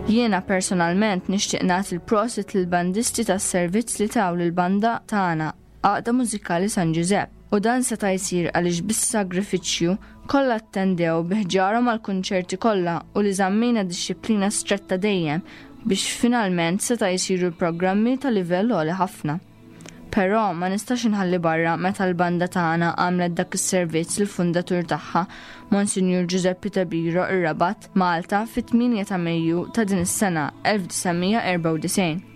Jiena personalment nixtieq nagħti l-prosit lill-bandisti tas-servizz li taw lill-banda tagħna Għaqda Mużikali San Ġużepp, u dan seta' jsir għaliex bis-sagrifiċċju kollha attendew bi ħġarhom għall-kunċerti kollha u li żammejna dixxiplina stretta dejjem biex finalment seta' jsiru l-programmi ta' livell għoli ħafna. Però ma nistax inħalli barra meta l-banda tagħna għamlet dak is-servizz lill-fundatur tagħha, Monsinjur Ġużeppi Tabiro ir-Rabat, Malta, fit-8 ta' Mejju ta' din is-sena 1994.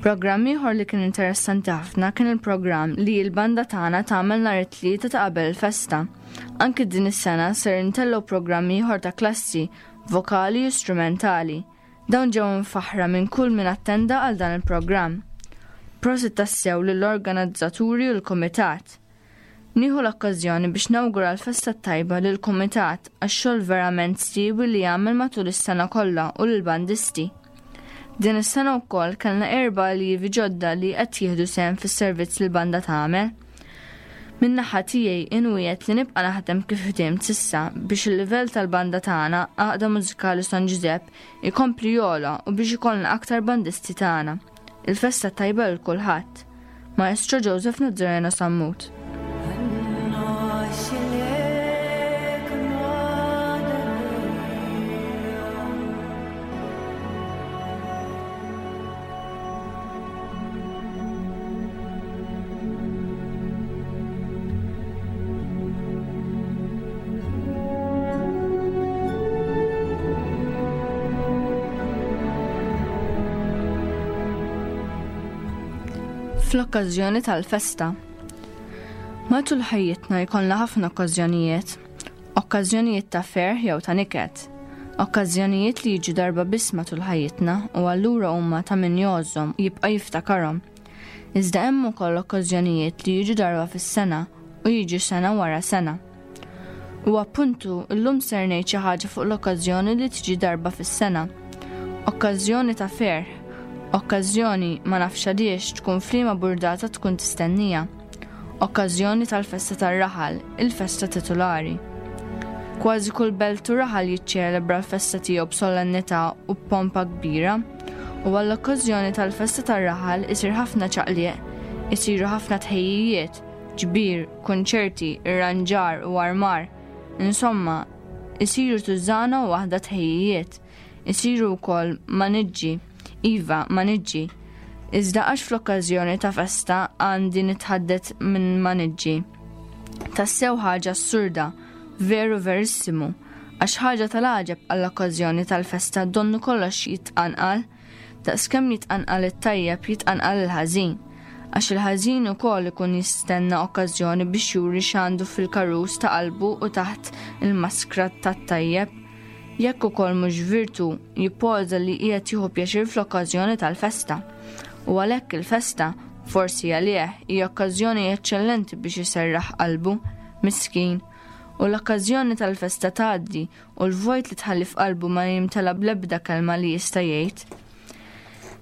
Programm ieħor li kien interessanti ħafna kien il-programm li l-banda tagħna tagħmel nhar it-Tlieta ta' qabel il-festa. Anki din is-sena ser intellgħu programm ieħor ta' klassi, vokali u strumentali. Dawn ġew imfaħħra minn kull min attenda għal dan il-programm. Prosit tassew lill-organizzaturi u l-kumitat. Nieħu l-okkażjoni biex nawgura l-festa t-tajba lill-kumitat għax-xogħol verament siewi li jagħmel matul is-sena kollha u lill-bandisti. Din is-sena wkoll kellna erba' alljievi ġodda li qed jieħdu sehem fis-servizz li l-banda tagħmel. Min-naħa tiegħi inwiegħed li nibqa' naħdem kif ħdimt s'issa biex il-livell tal-banda tagħna, Għaqda Mużikali San Ġużepp, ikompli jogħla u biex ikollna aktar bandisti tagħna. Il-festa t-tajba lil kulħadd. Maestro Joseph Nazareno Sammut. Fl-okkażjoni tal-festa. Matul ħajjitna jkollna ħafna okkażjonijiet, okkażjonijiet ta' ferħ jew ta' niket, okkażjonijiet li jiġu darba biss matul ħajjitna u allura huma ta' min jgħożżhom u jibqa' jiftakarhom. Iżda hemm ukoll okkażjonijiet li jiġu darba fis-sena u jiġu sena wara sena. U appuntu, illum ser ngħid xi ħaġa fuq l-okkażjoni li tiġi darba fis-sena. Okkażjoni ta' ferħ, okkażjoni ma nafx għaliex tkun f'liema burdata tkun tistennija. Okkażjoni tal-festa tar-raħal, il-festa titulari. Kważi kull belt u raħal jiċċelebra l-festa tiegħu b'solennità u b'pompa kbira. U għall-okkażjoni tal-festa tar-raħal isir ħafna ċaqliq, isiru ħafna tħejjijiet, ġbir, kunċerti, irranġar u armar. Insomma, isiru tużżana u waħda tħejjijiet. Isiru wkoll maniġġi. Iva, maniġġi. Iżda għax fl-okkażjoni ta' festa għandi nitħaddet minn maniġġi. Tassew ħaġa assurda, veru verissimu, għax ħaġa tal-għaġeb għall-okkażjoni tal-festa donnu kollox jitqanqal. Daqskemm jitqanqal it-tajjeb jitqanqal il-ħażin. Għax il-ħażin ukoll ikun jistenna okkażjoni biex juri x'għandu fil-karus ta' qalbu u taħt il-maskra tat-tajjeb. Jekk ukoll mhux virtu, jippoża li qiegħed jieħu pjaċir fl-okkażjoni tal-festa. U għalhekk il-festa, forsi għalih, hija okkażjoni eċċellenti biex iserraħ qalbu, miskin. U l-okkażjoni tal-festa tgħaddi u l-vojt li tħalli f'qalbu ma jimtela bl-ebda kelma li jista' jgħid.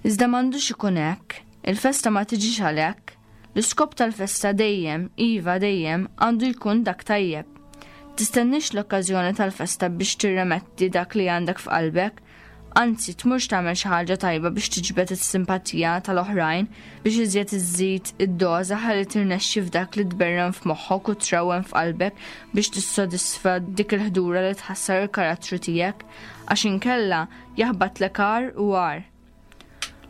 Iżda m'għandux ikun hekk, il-festa ma tiġix għalhekk. L-iskop tal-festa dejjem, iva dejjem, għandu jkun dak tajjeb. Tistennix l-okkażjoni tal-festa biex tirremetti dak li għandek f'qalbek, anzi tmurx tagħmel xi ħaġa tajba biex tiġbed is-simpatija tal-oħrajn biex iżjed iżżid id-doża ħalli tirnexxi f'dak li tberren f'moħħok u trawwem f'qalbek biex tissodisfa dik il-ħdura li tħassar il-karattru tiegħek għax inkella jaħbatlek agħar u agħar.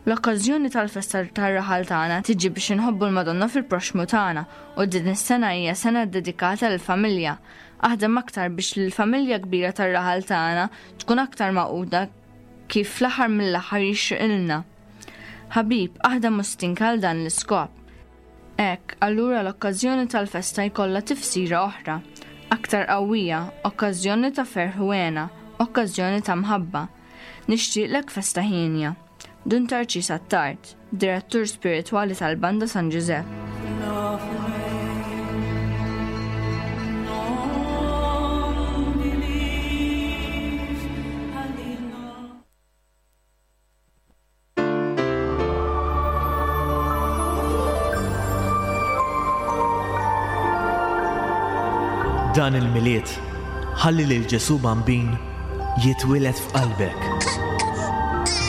L-okkażjoni tal-festa tar-raħal tagħna tiġi biex inħobbu l-Madonna fil-proxxmu tagħna u din is-sena hija sena ddedikata lill-familja. Aħdem aktar biex l-familja kbira tar-raħal tagħna tkun aktar magħquda kif fl-aħħar mill-aħħar jixriqilna. Ħabib, aħdem u stinka għal dan l-iskop. Hekk, allura l-okkażjoni tal-festa jkollha tifsira oħra, aktar qawwija, okkażjoni ta' ferħ u hena, okkażjoni ta' mħabba. Nixtieqlek festa hienja. Dun Tarċis Attard, Direttur Spiritwali tal-Banda San Ġużepp. Dan il-Milied, ħalli lil Ġesù Bambin jitwieled f'qalbek.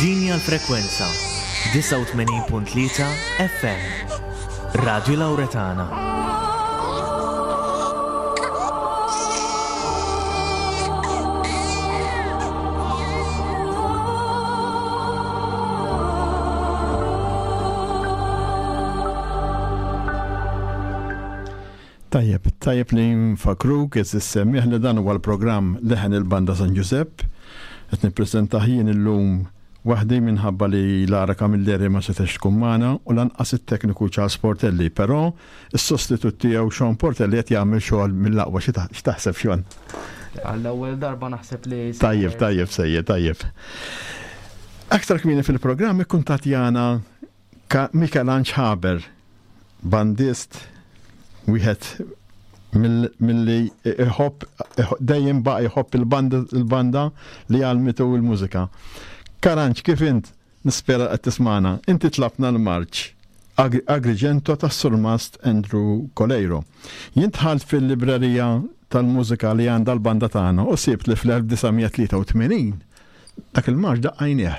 Din hija l-frekwenza 89.3 FM. Radio Lauretana. Tajjeb, tajjeb li nfakruk is-semmiħ li dan huwa l-programm Leħen il-Banda San Ġużepp. Qed nippreżentah jien illum waħdi minħabba li Lara Camilleri ma setgħetx tkun magħna u lanqas it-tekniku Charles Portelli, però is-sostitut tiegħu Sean Portelli qed jagħmel xogħol mill-aqwa. X'taħseb Sean? Għall-ewwel darba naħseb li. Tajjeb, tajjeb sejjer, tajjeb. Aktar kmieni fil-programm ikkuntattjana Mikelanġ Haber, bandist wieħed milli iħobb dejjem baqa' jħobb il-banda li għallmitu l-mużika. Karanġ, kif int? Nispera qed tismagħna. Inti tlabtna l-marċ Agrigento tas-Surmast Andrew Coleiro. Jien dħalt fil-librerija tal-mużika li għandha l-banda tagħna u sibt li fl-1983 Dak il-marċ daqqajnieh.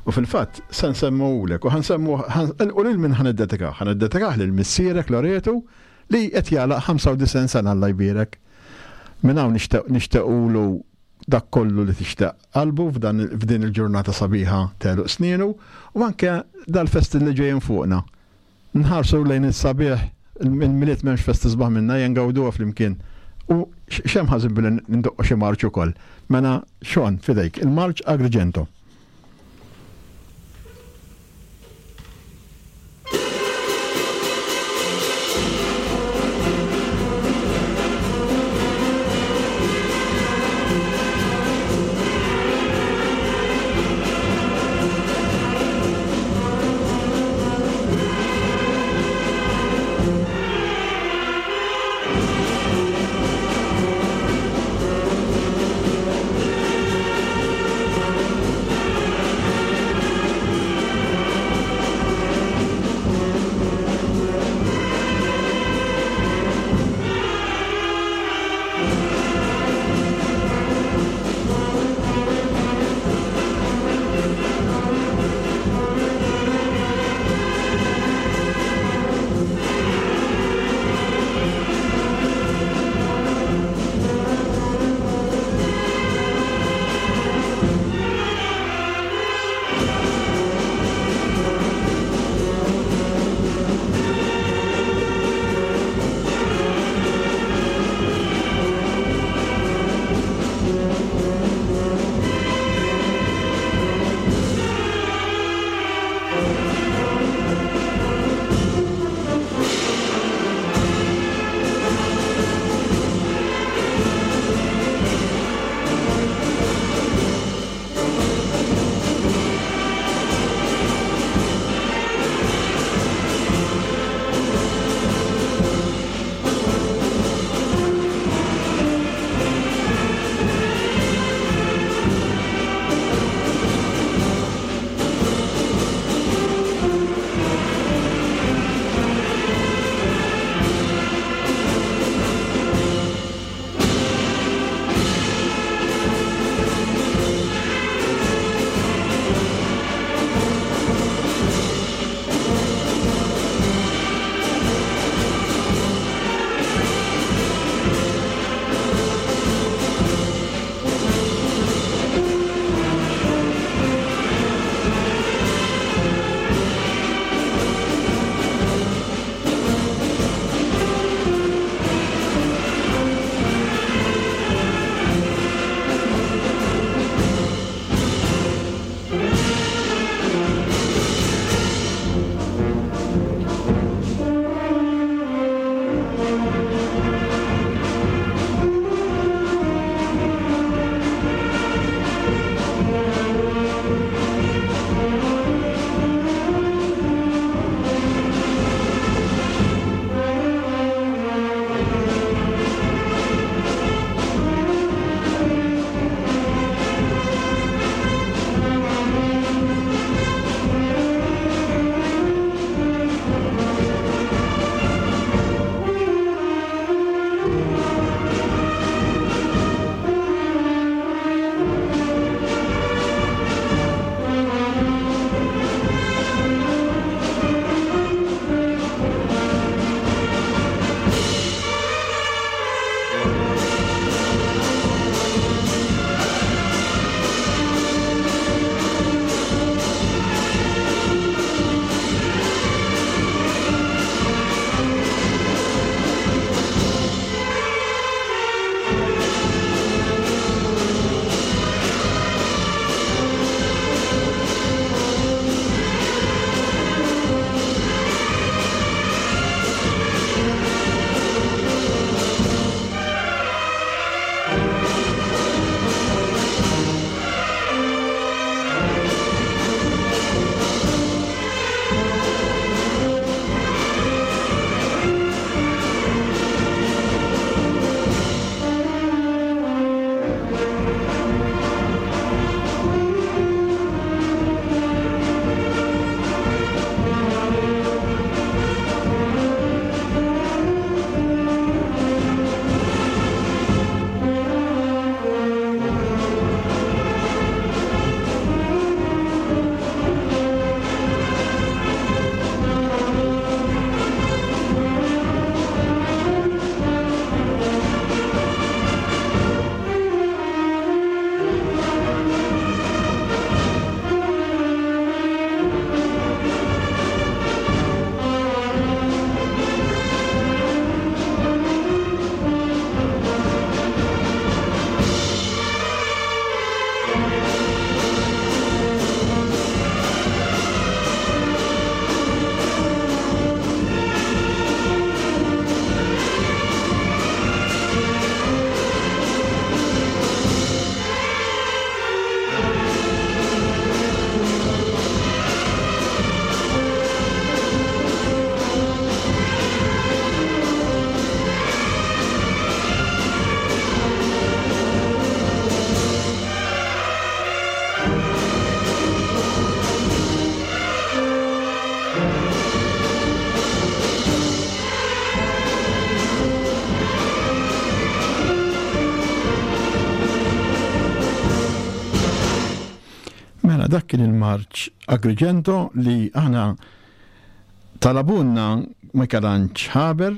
U fil-fatt se nsemmuhulek u ħa nsemmuh u lil min ħa niddedikah? Ħa niddedikah lil missierek Loretu li qed jagħlaq 95 sena Alla jbierek. Minn hawn nixtequlu dak kollu li tixtaq qalbu f'din il-ġurnata sabiħa t'għeluq snienu u anke dal-festi li ġejjin fuqna. Nħarsu lejn is-sabiħ, il-Milied m'hemmx festa isbaħ minnha, ejja ngawduha flimkien. U x'hemm ħażin billi ndoqqu xi marċ ukoll. Mela Sean, f'idejk, il-marċ Agrigento. Mela dak kien il-marċ Agrigento li aħna talabunna Michelangelo Haber,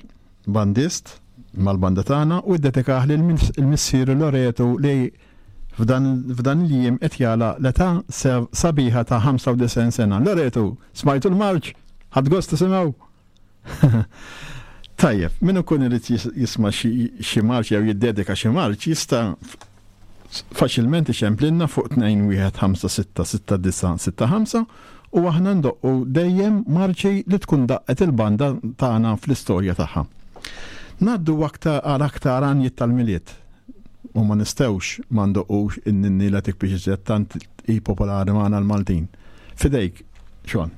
bandist mal-banda tagħna u ddedikah lil missier Loreto li f'dan il-jiem qed jagħlaq l-età sabiħa ta' 95 sena. Loreto, smajtu l-marċ? Ħadt gost tisimgħu? Tajjeb, min ikun irid jisma' xi marċ jew jiddedika xi marċ jista' faċilment iċemplinna fuq 21566965 u aħna ndoqqu dejjem marċi li tkun daqqet il-banda tagħna fl-istorja tagħha. Ngħaddu aktar għal aktar għanjiet tal-Milied u ma nistgħux ma ndoqqux in-ninni la tikbix iżjed tant hi popolari magħna l-Maltin. Fidejk, Sean.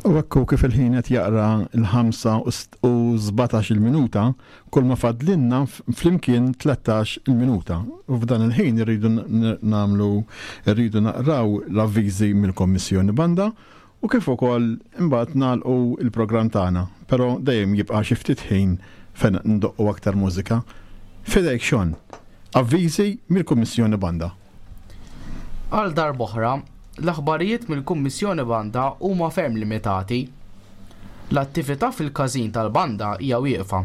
U ekku kif il-ħin qed jaqra l-5 u 17 il-minuta, kull ma fadlinna flimkien 13 il-minuta. U f'dan il-ħin irridu nagħmlu irridu naqraw l-avviżi mill-Kommissjoni Banda u kif ukoll imbagħad nagħlqu l-programm tagħna, però dejjem jibqa' xi ftit ħin fejn ndoqqu aktar mużika. F'idejk Sean. Avviżi mill-Kummissjoni Banda. Għal darb'oħra, l-aħbarijiet mill-Kummissjoni Banda huma ferm limitati. L-attività fil-każin tal-banda hija wieqfa.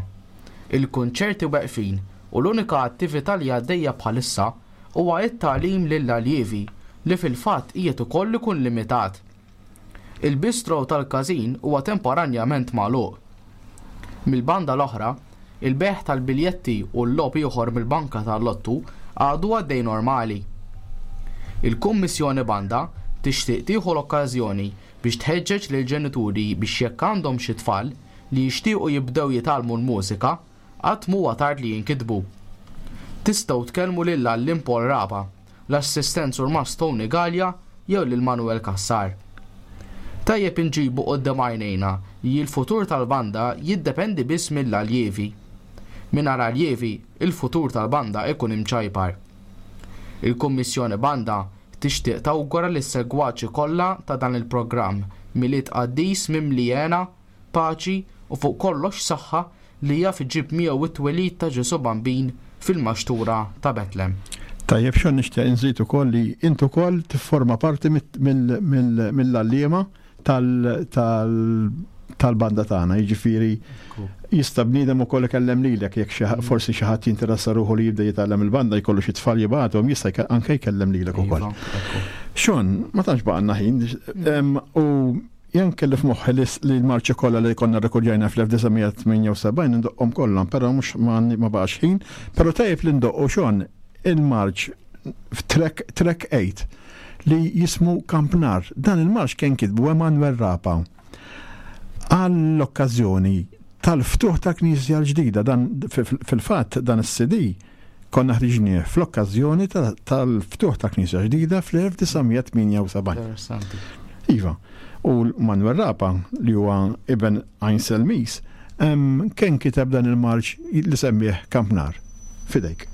Il-kunċerti weqfin u l-unika attività li għaddejja bħalissa huwa t-tagħlim lill-aljevi li fil-fatt qiegħed ukoll ikun limitat. Il-bistro tal-każin huwa temporanjament magħluq. Mill-banda l-oħra, il-bejgħ tal-biljetti u l-logħob ieħor mill-banka tal-lottu għadu għaddej normali. Il-Kummissjoni Banda tixtieq tieħu l-okkażjoni biex tħeġġeġ lill-ġenituri biex jekk għandhom xi tfal li jixtiequ jibdew jitgħallmu l-mużika, Qatt m'huwa tard li jinkitbu. Tistgħu tkellmu lill-għalliem Paul Rapa, l-assistent surmast Tony Galea jew lil Manuel Cassar. Tajjeb inġibu quddiem għajnejna li l-futur tal-banda jiddependi biss mill-aljievi. Mingħajr aljievi, il-futur tal-banda ikun imċajpar. Il-Kummissjoni Banda tixtieq tawgura lis-segwaċi kollha ta' dan il-programm Milied Qaddis mimli hena, paċi u fuq kollox saħħa li jaf iġib miegħu t-twelid ta' Ġesù Bambin fil-maxtura ta' Betlem. Tajjeb xogħol nixtieq inżid ukoll li int ukoll tifforma parti mill-għalliema tal-banda tagħna, jiġifieri jista' bniedem ukoll ikellem lilek jekk forsi xi ħadd jinteressa ruħu li jibda jitgħallem il-banda jkollu xi tfal jibgħathom jista' anke jkellem lilek ukoll. Iva, Sean, ma tantx baqgħalna ħin u Jien kelli f'moħħi li l-marċi kollha li konna rrekordjajna fl-1978 ndoqqhom kollha, però mhux ma baqax ħin, però tajjeb li ndoqqu Sean il-marċ f'track track 8 li jismu Kampnar. Dan il-marċ kien kitbu Emanuel Rapa għall-okkażjoni. tal-ftuħ ta' Knisja l-ġdida. Dan fil-fatt dan is-CD konna ħriġnieh fl-okkażjoni tal-ftuħ ta' Knisja ġdida fl-1978. Iva, u Manuel Rapa li huwa iben Einsel Mies kien kiteb dan il-marċ li semmih Kampnar. Fidejk.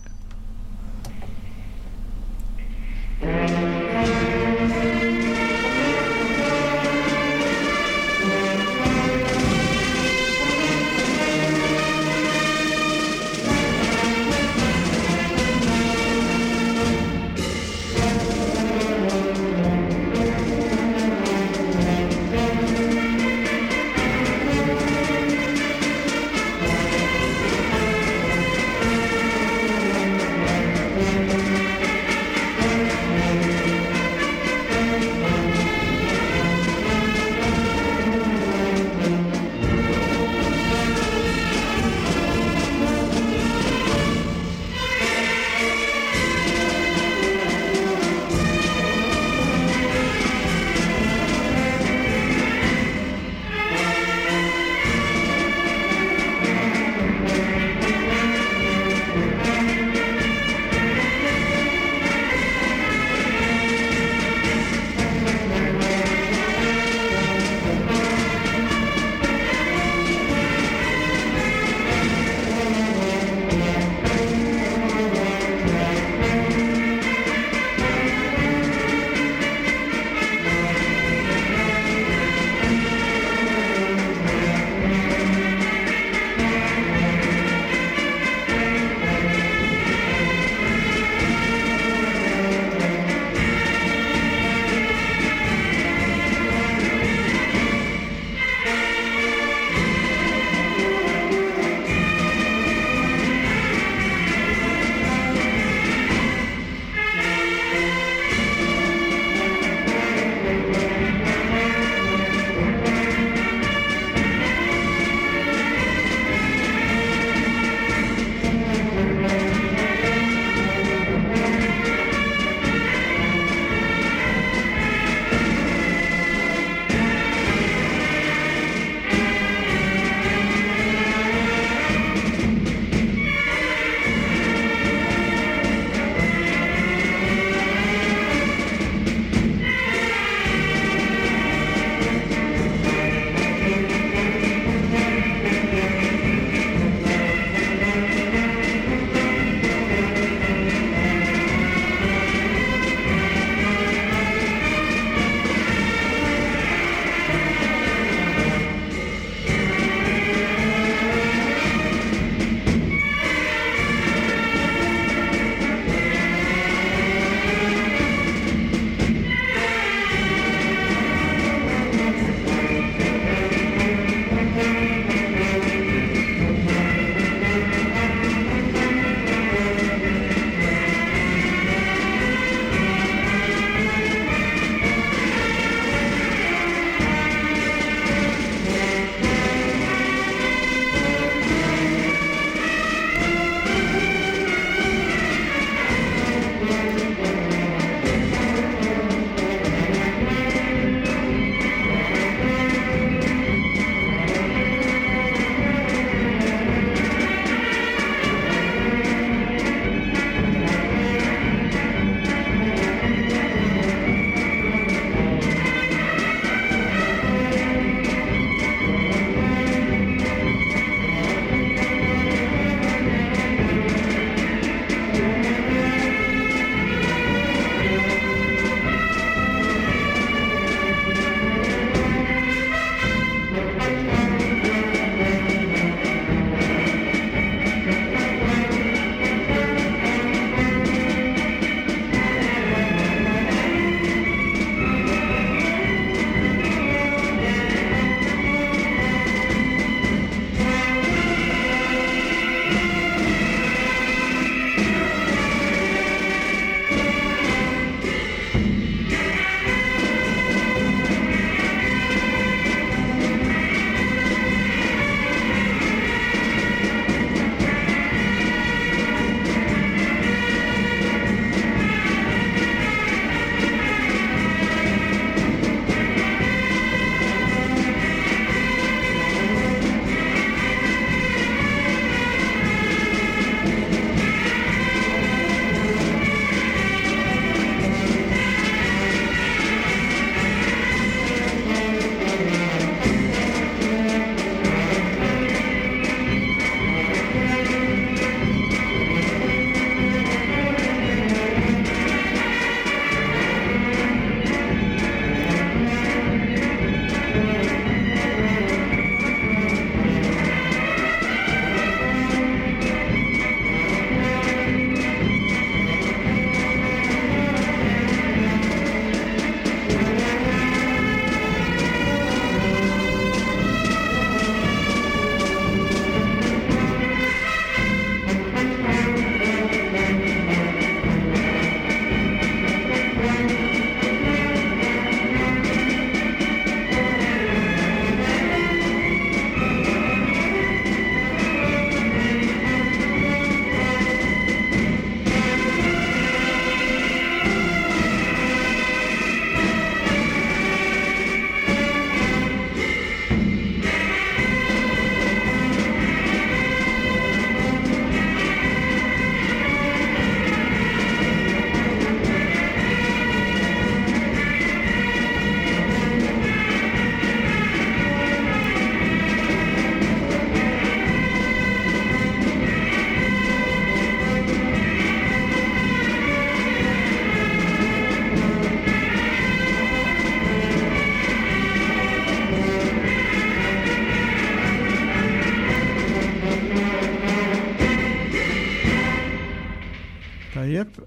Tajjeb,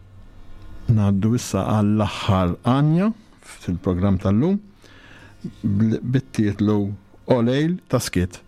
ngħaddu issa għall-aħħar għanja fil-programm tal-lum bit-titlu O Lejl ta' Skiet.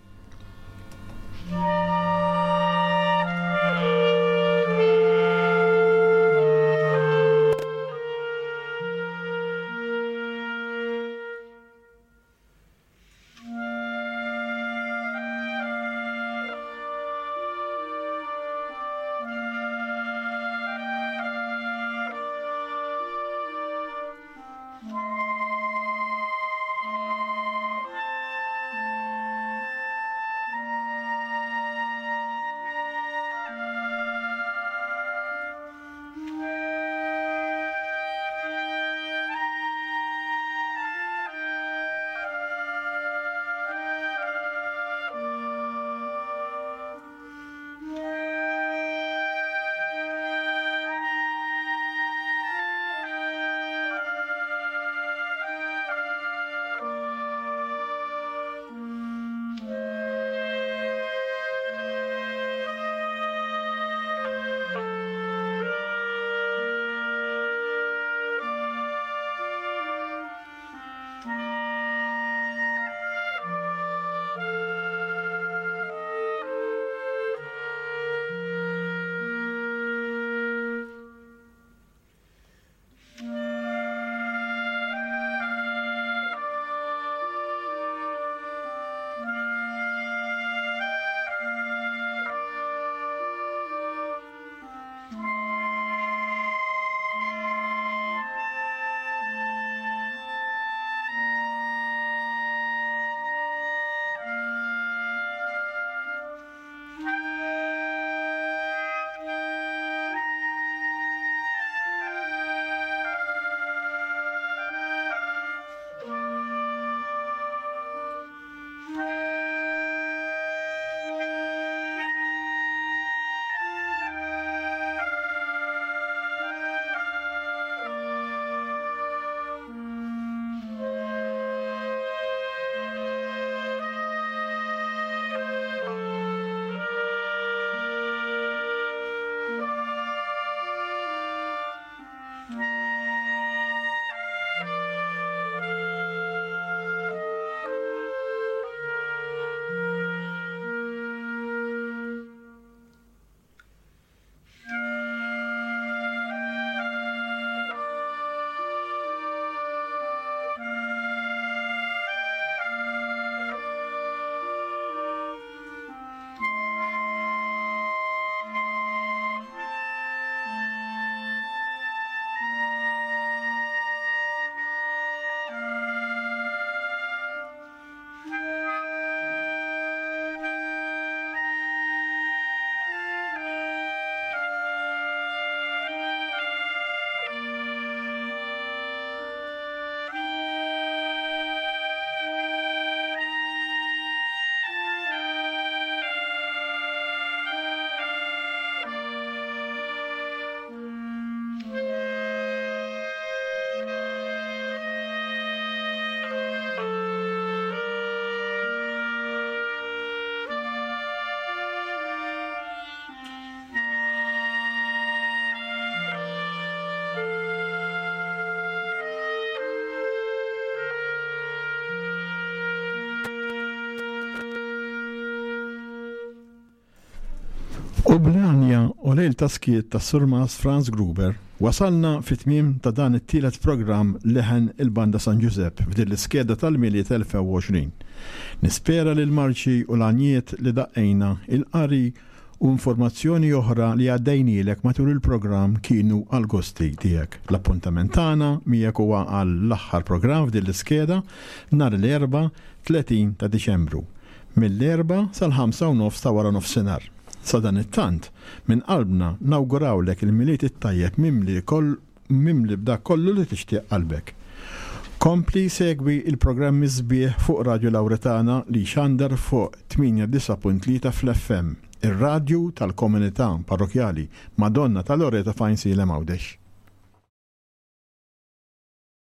U bl-għanja u lejl ta' skiet ta' Surmas Franz Gruber wasalna fit-tmiem ta' dan it-tielet programm Leħen il-Banda San Ġużepp f'din l-iskeda tal-Milied 2020. Nispera li l-marċi u l-għanjiet li daqqejna, il-qari u informazzjoni oħra li għaddejnielek matul il-programm kienu għall-gosti tiegħek. L-appuntament tagħna miegħek huwa għall-aħħar programm f'din l-iskeda nhar l-Erbgħa 30 ta' Diċembru, mill-erbgħa sal-ħamsa u nofs ta' wara nofsinhar. Sadanittant, minn qalbna nawgurawlek il-Milied it-tajjeb mimli mimli b'dak kollu li tixtieq qalbek. Kompli segwi il-programmi sbieħ fuq Radju Lawretana li jxandar fuq 89.3 fl-FM, ir-radju tal-komunità parrokjali Madonna ta' Loreto f'Għajnsielem Għawdex.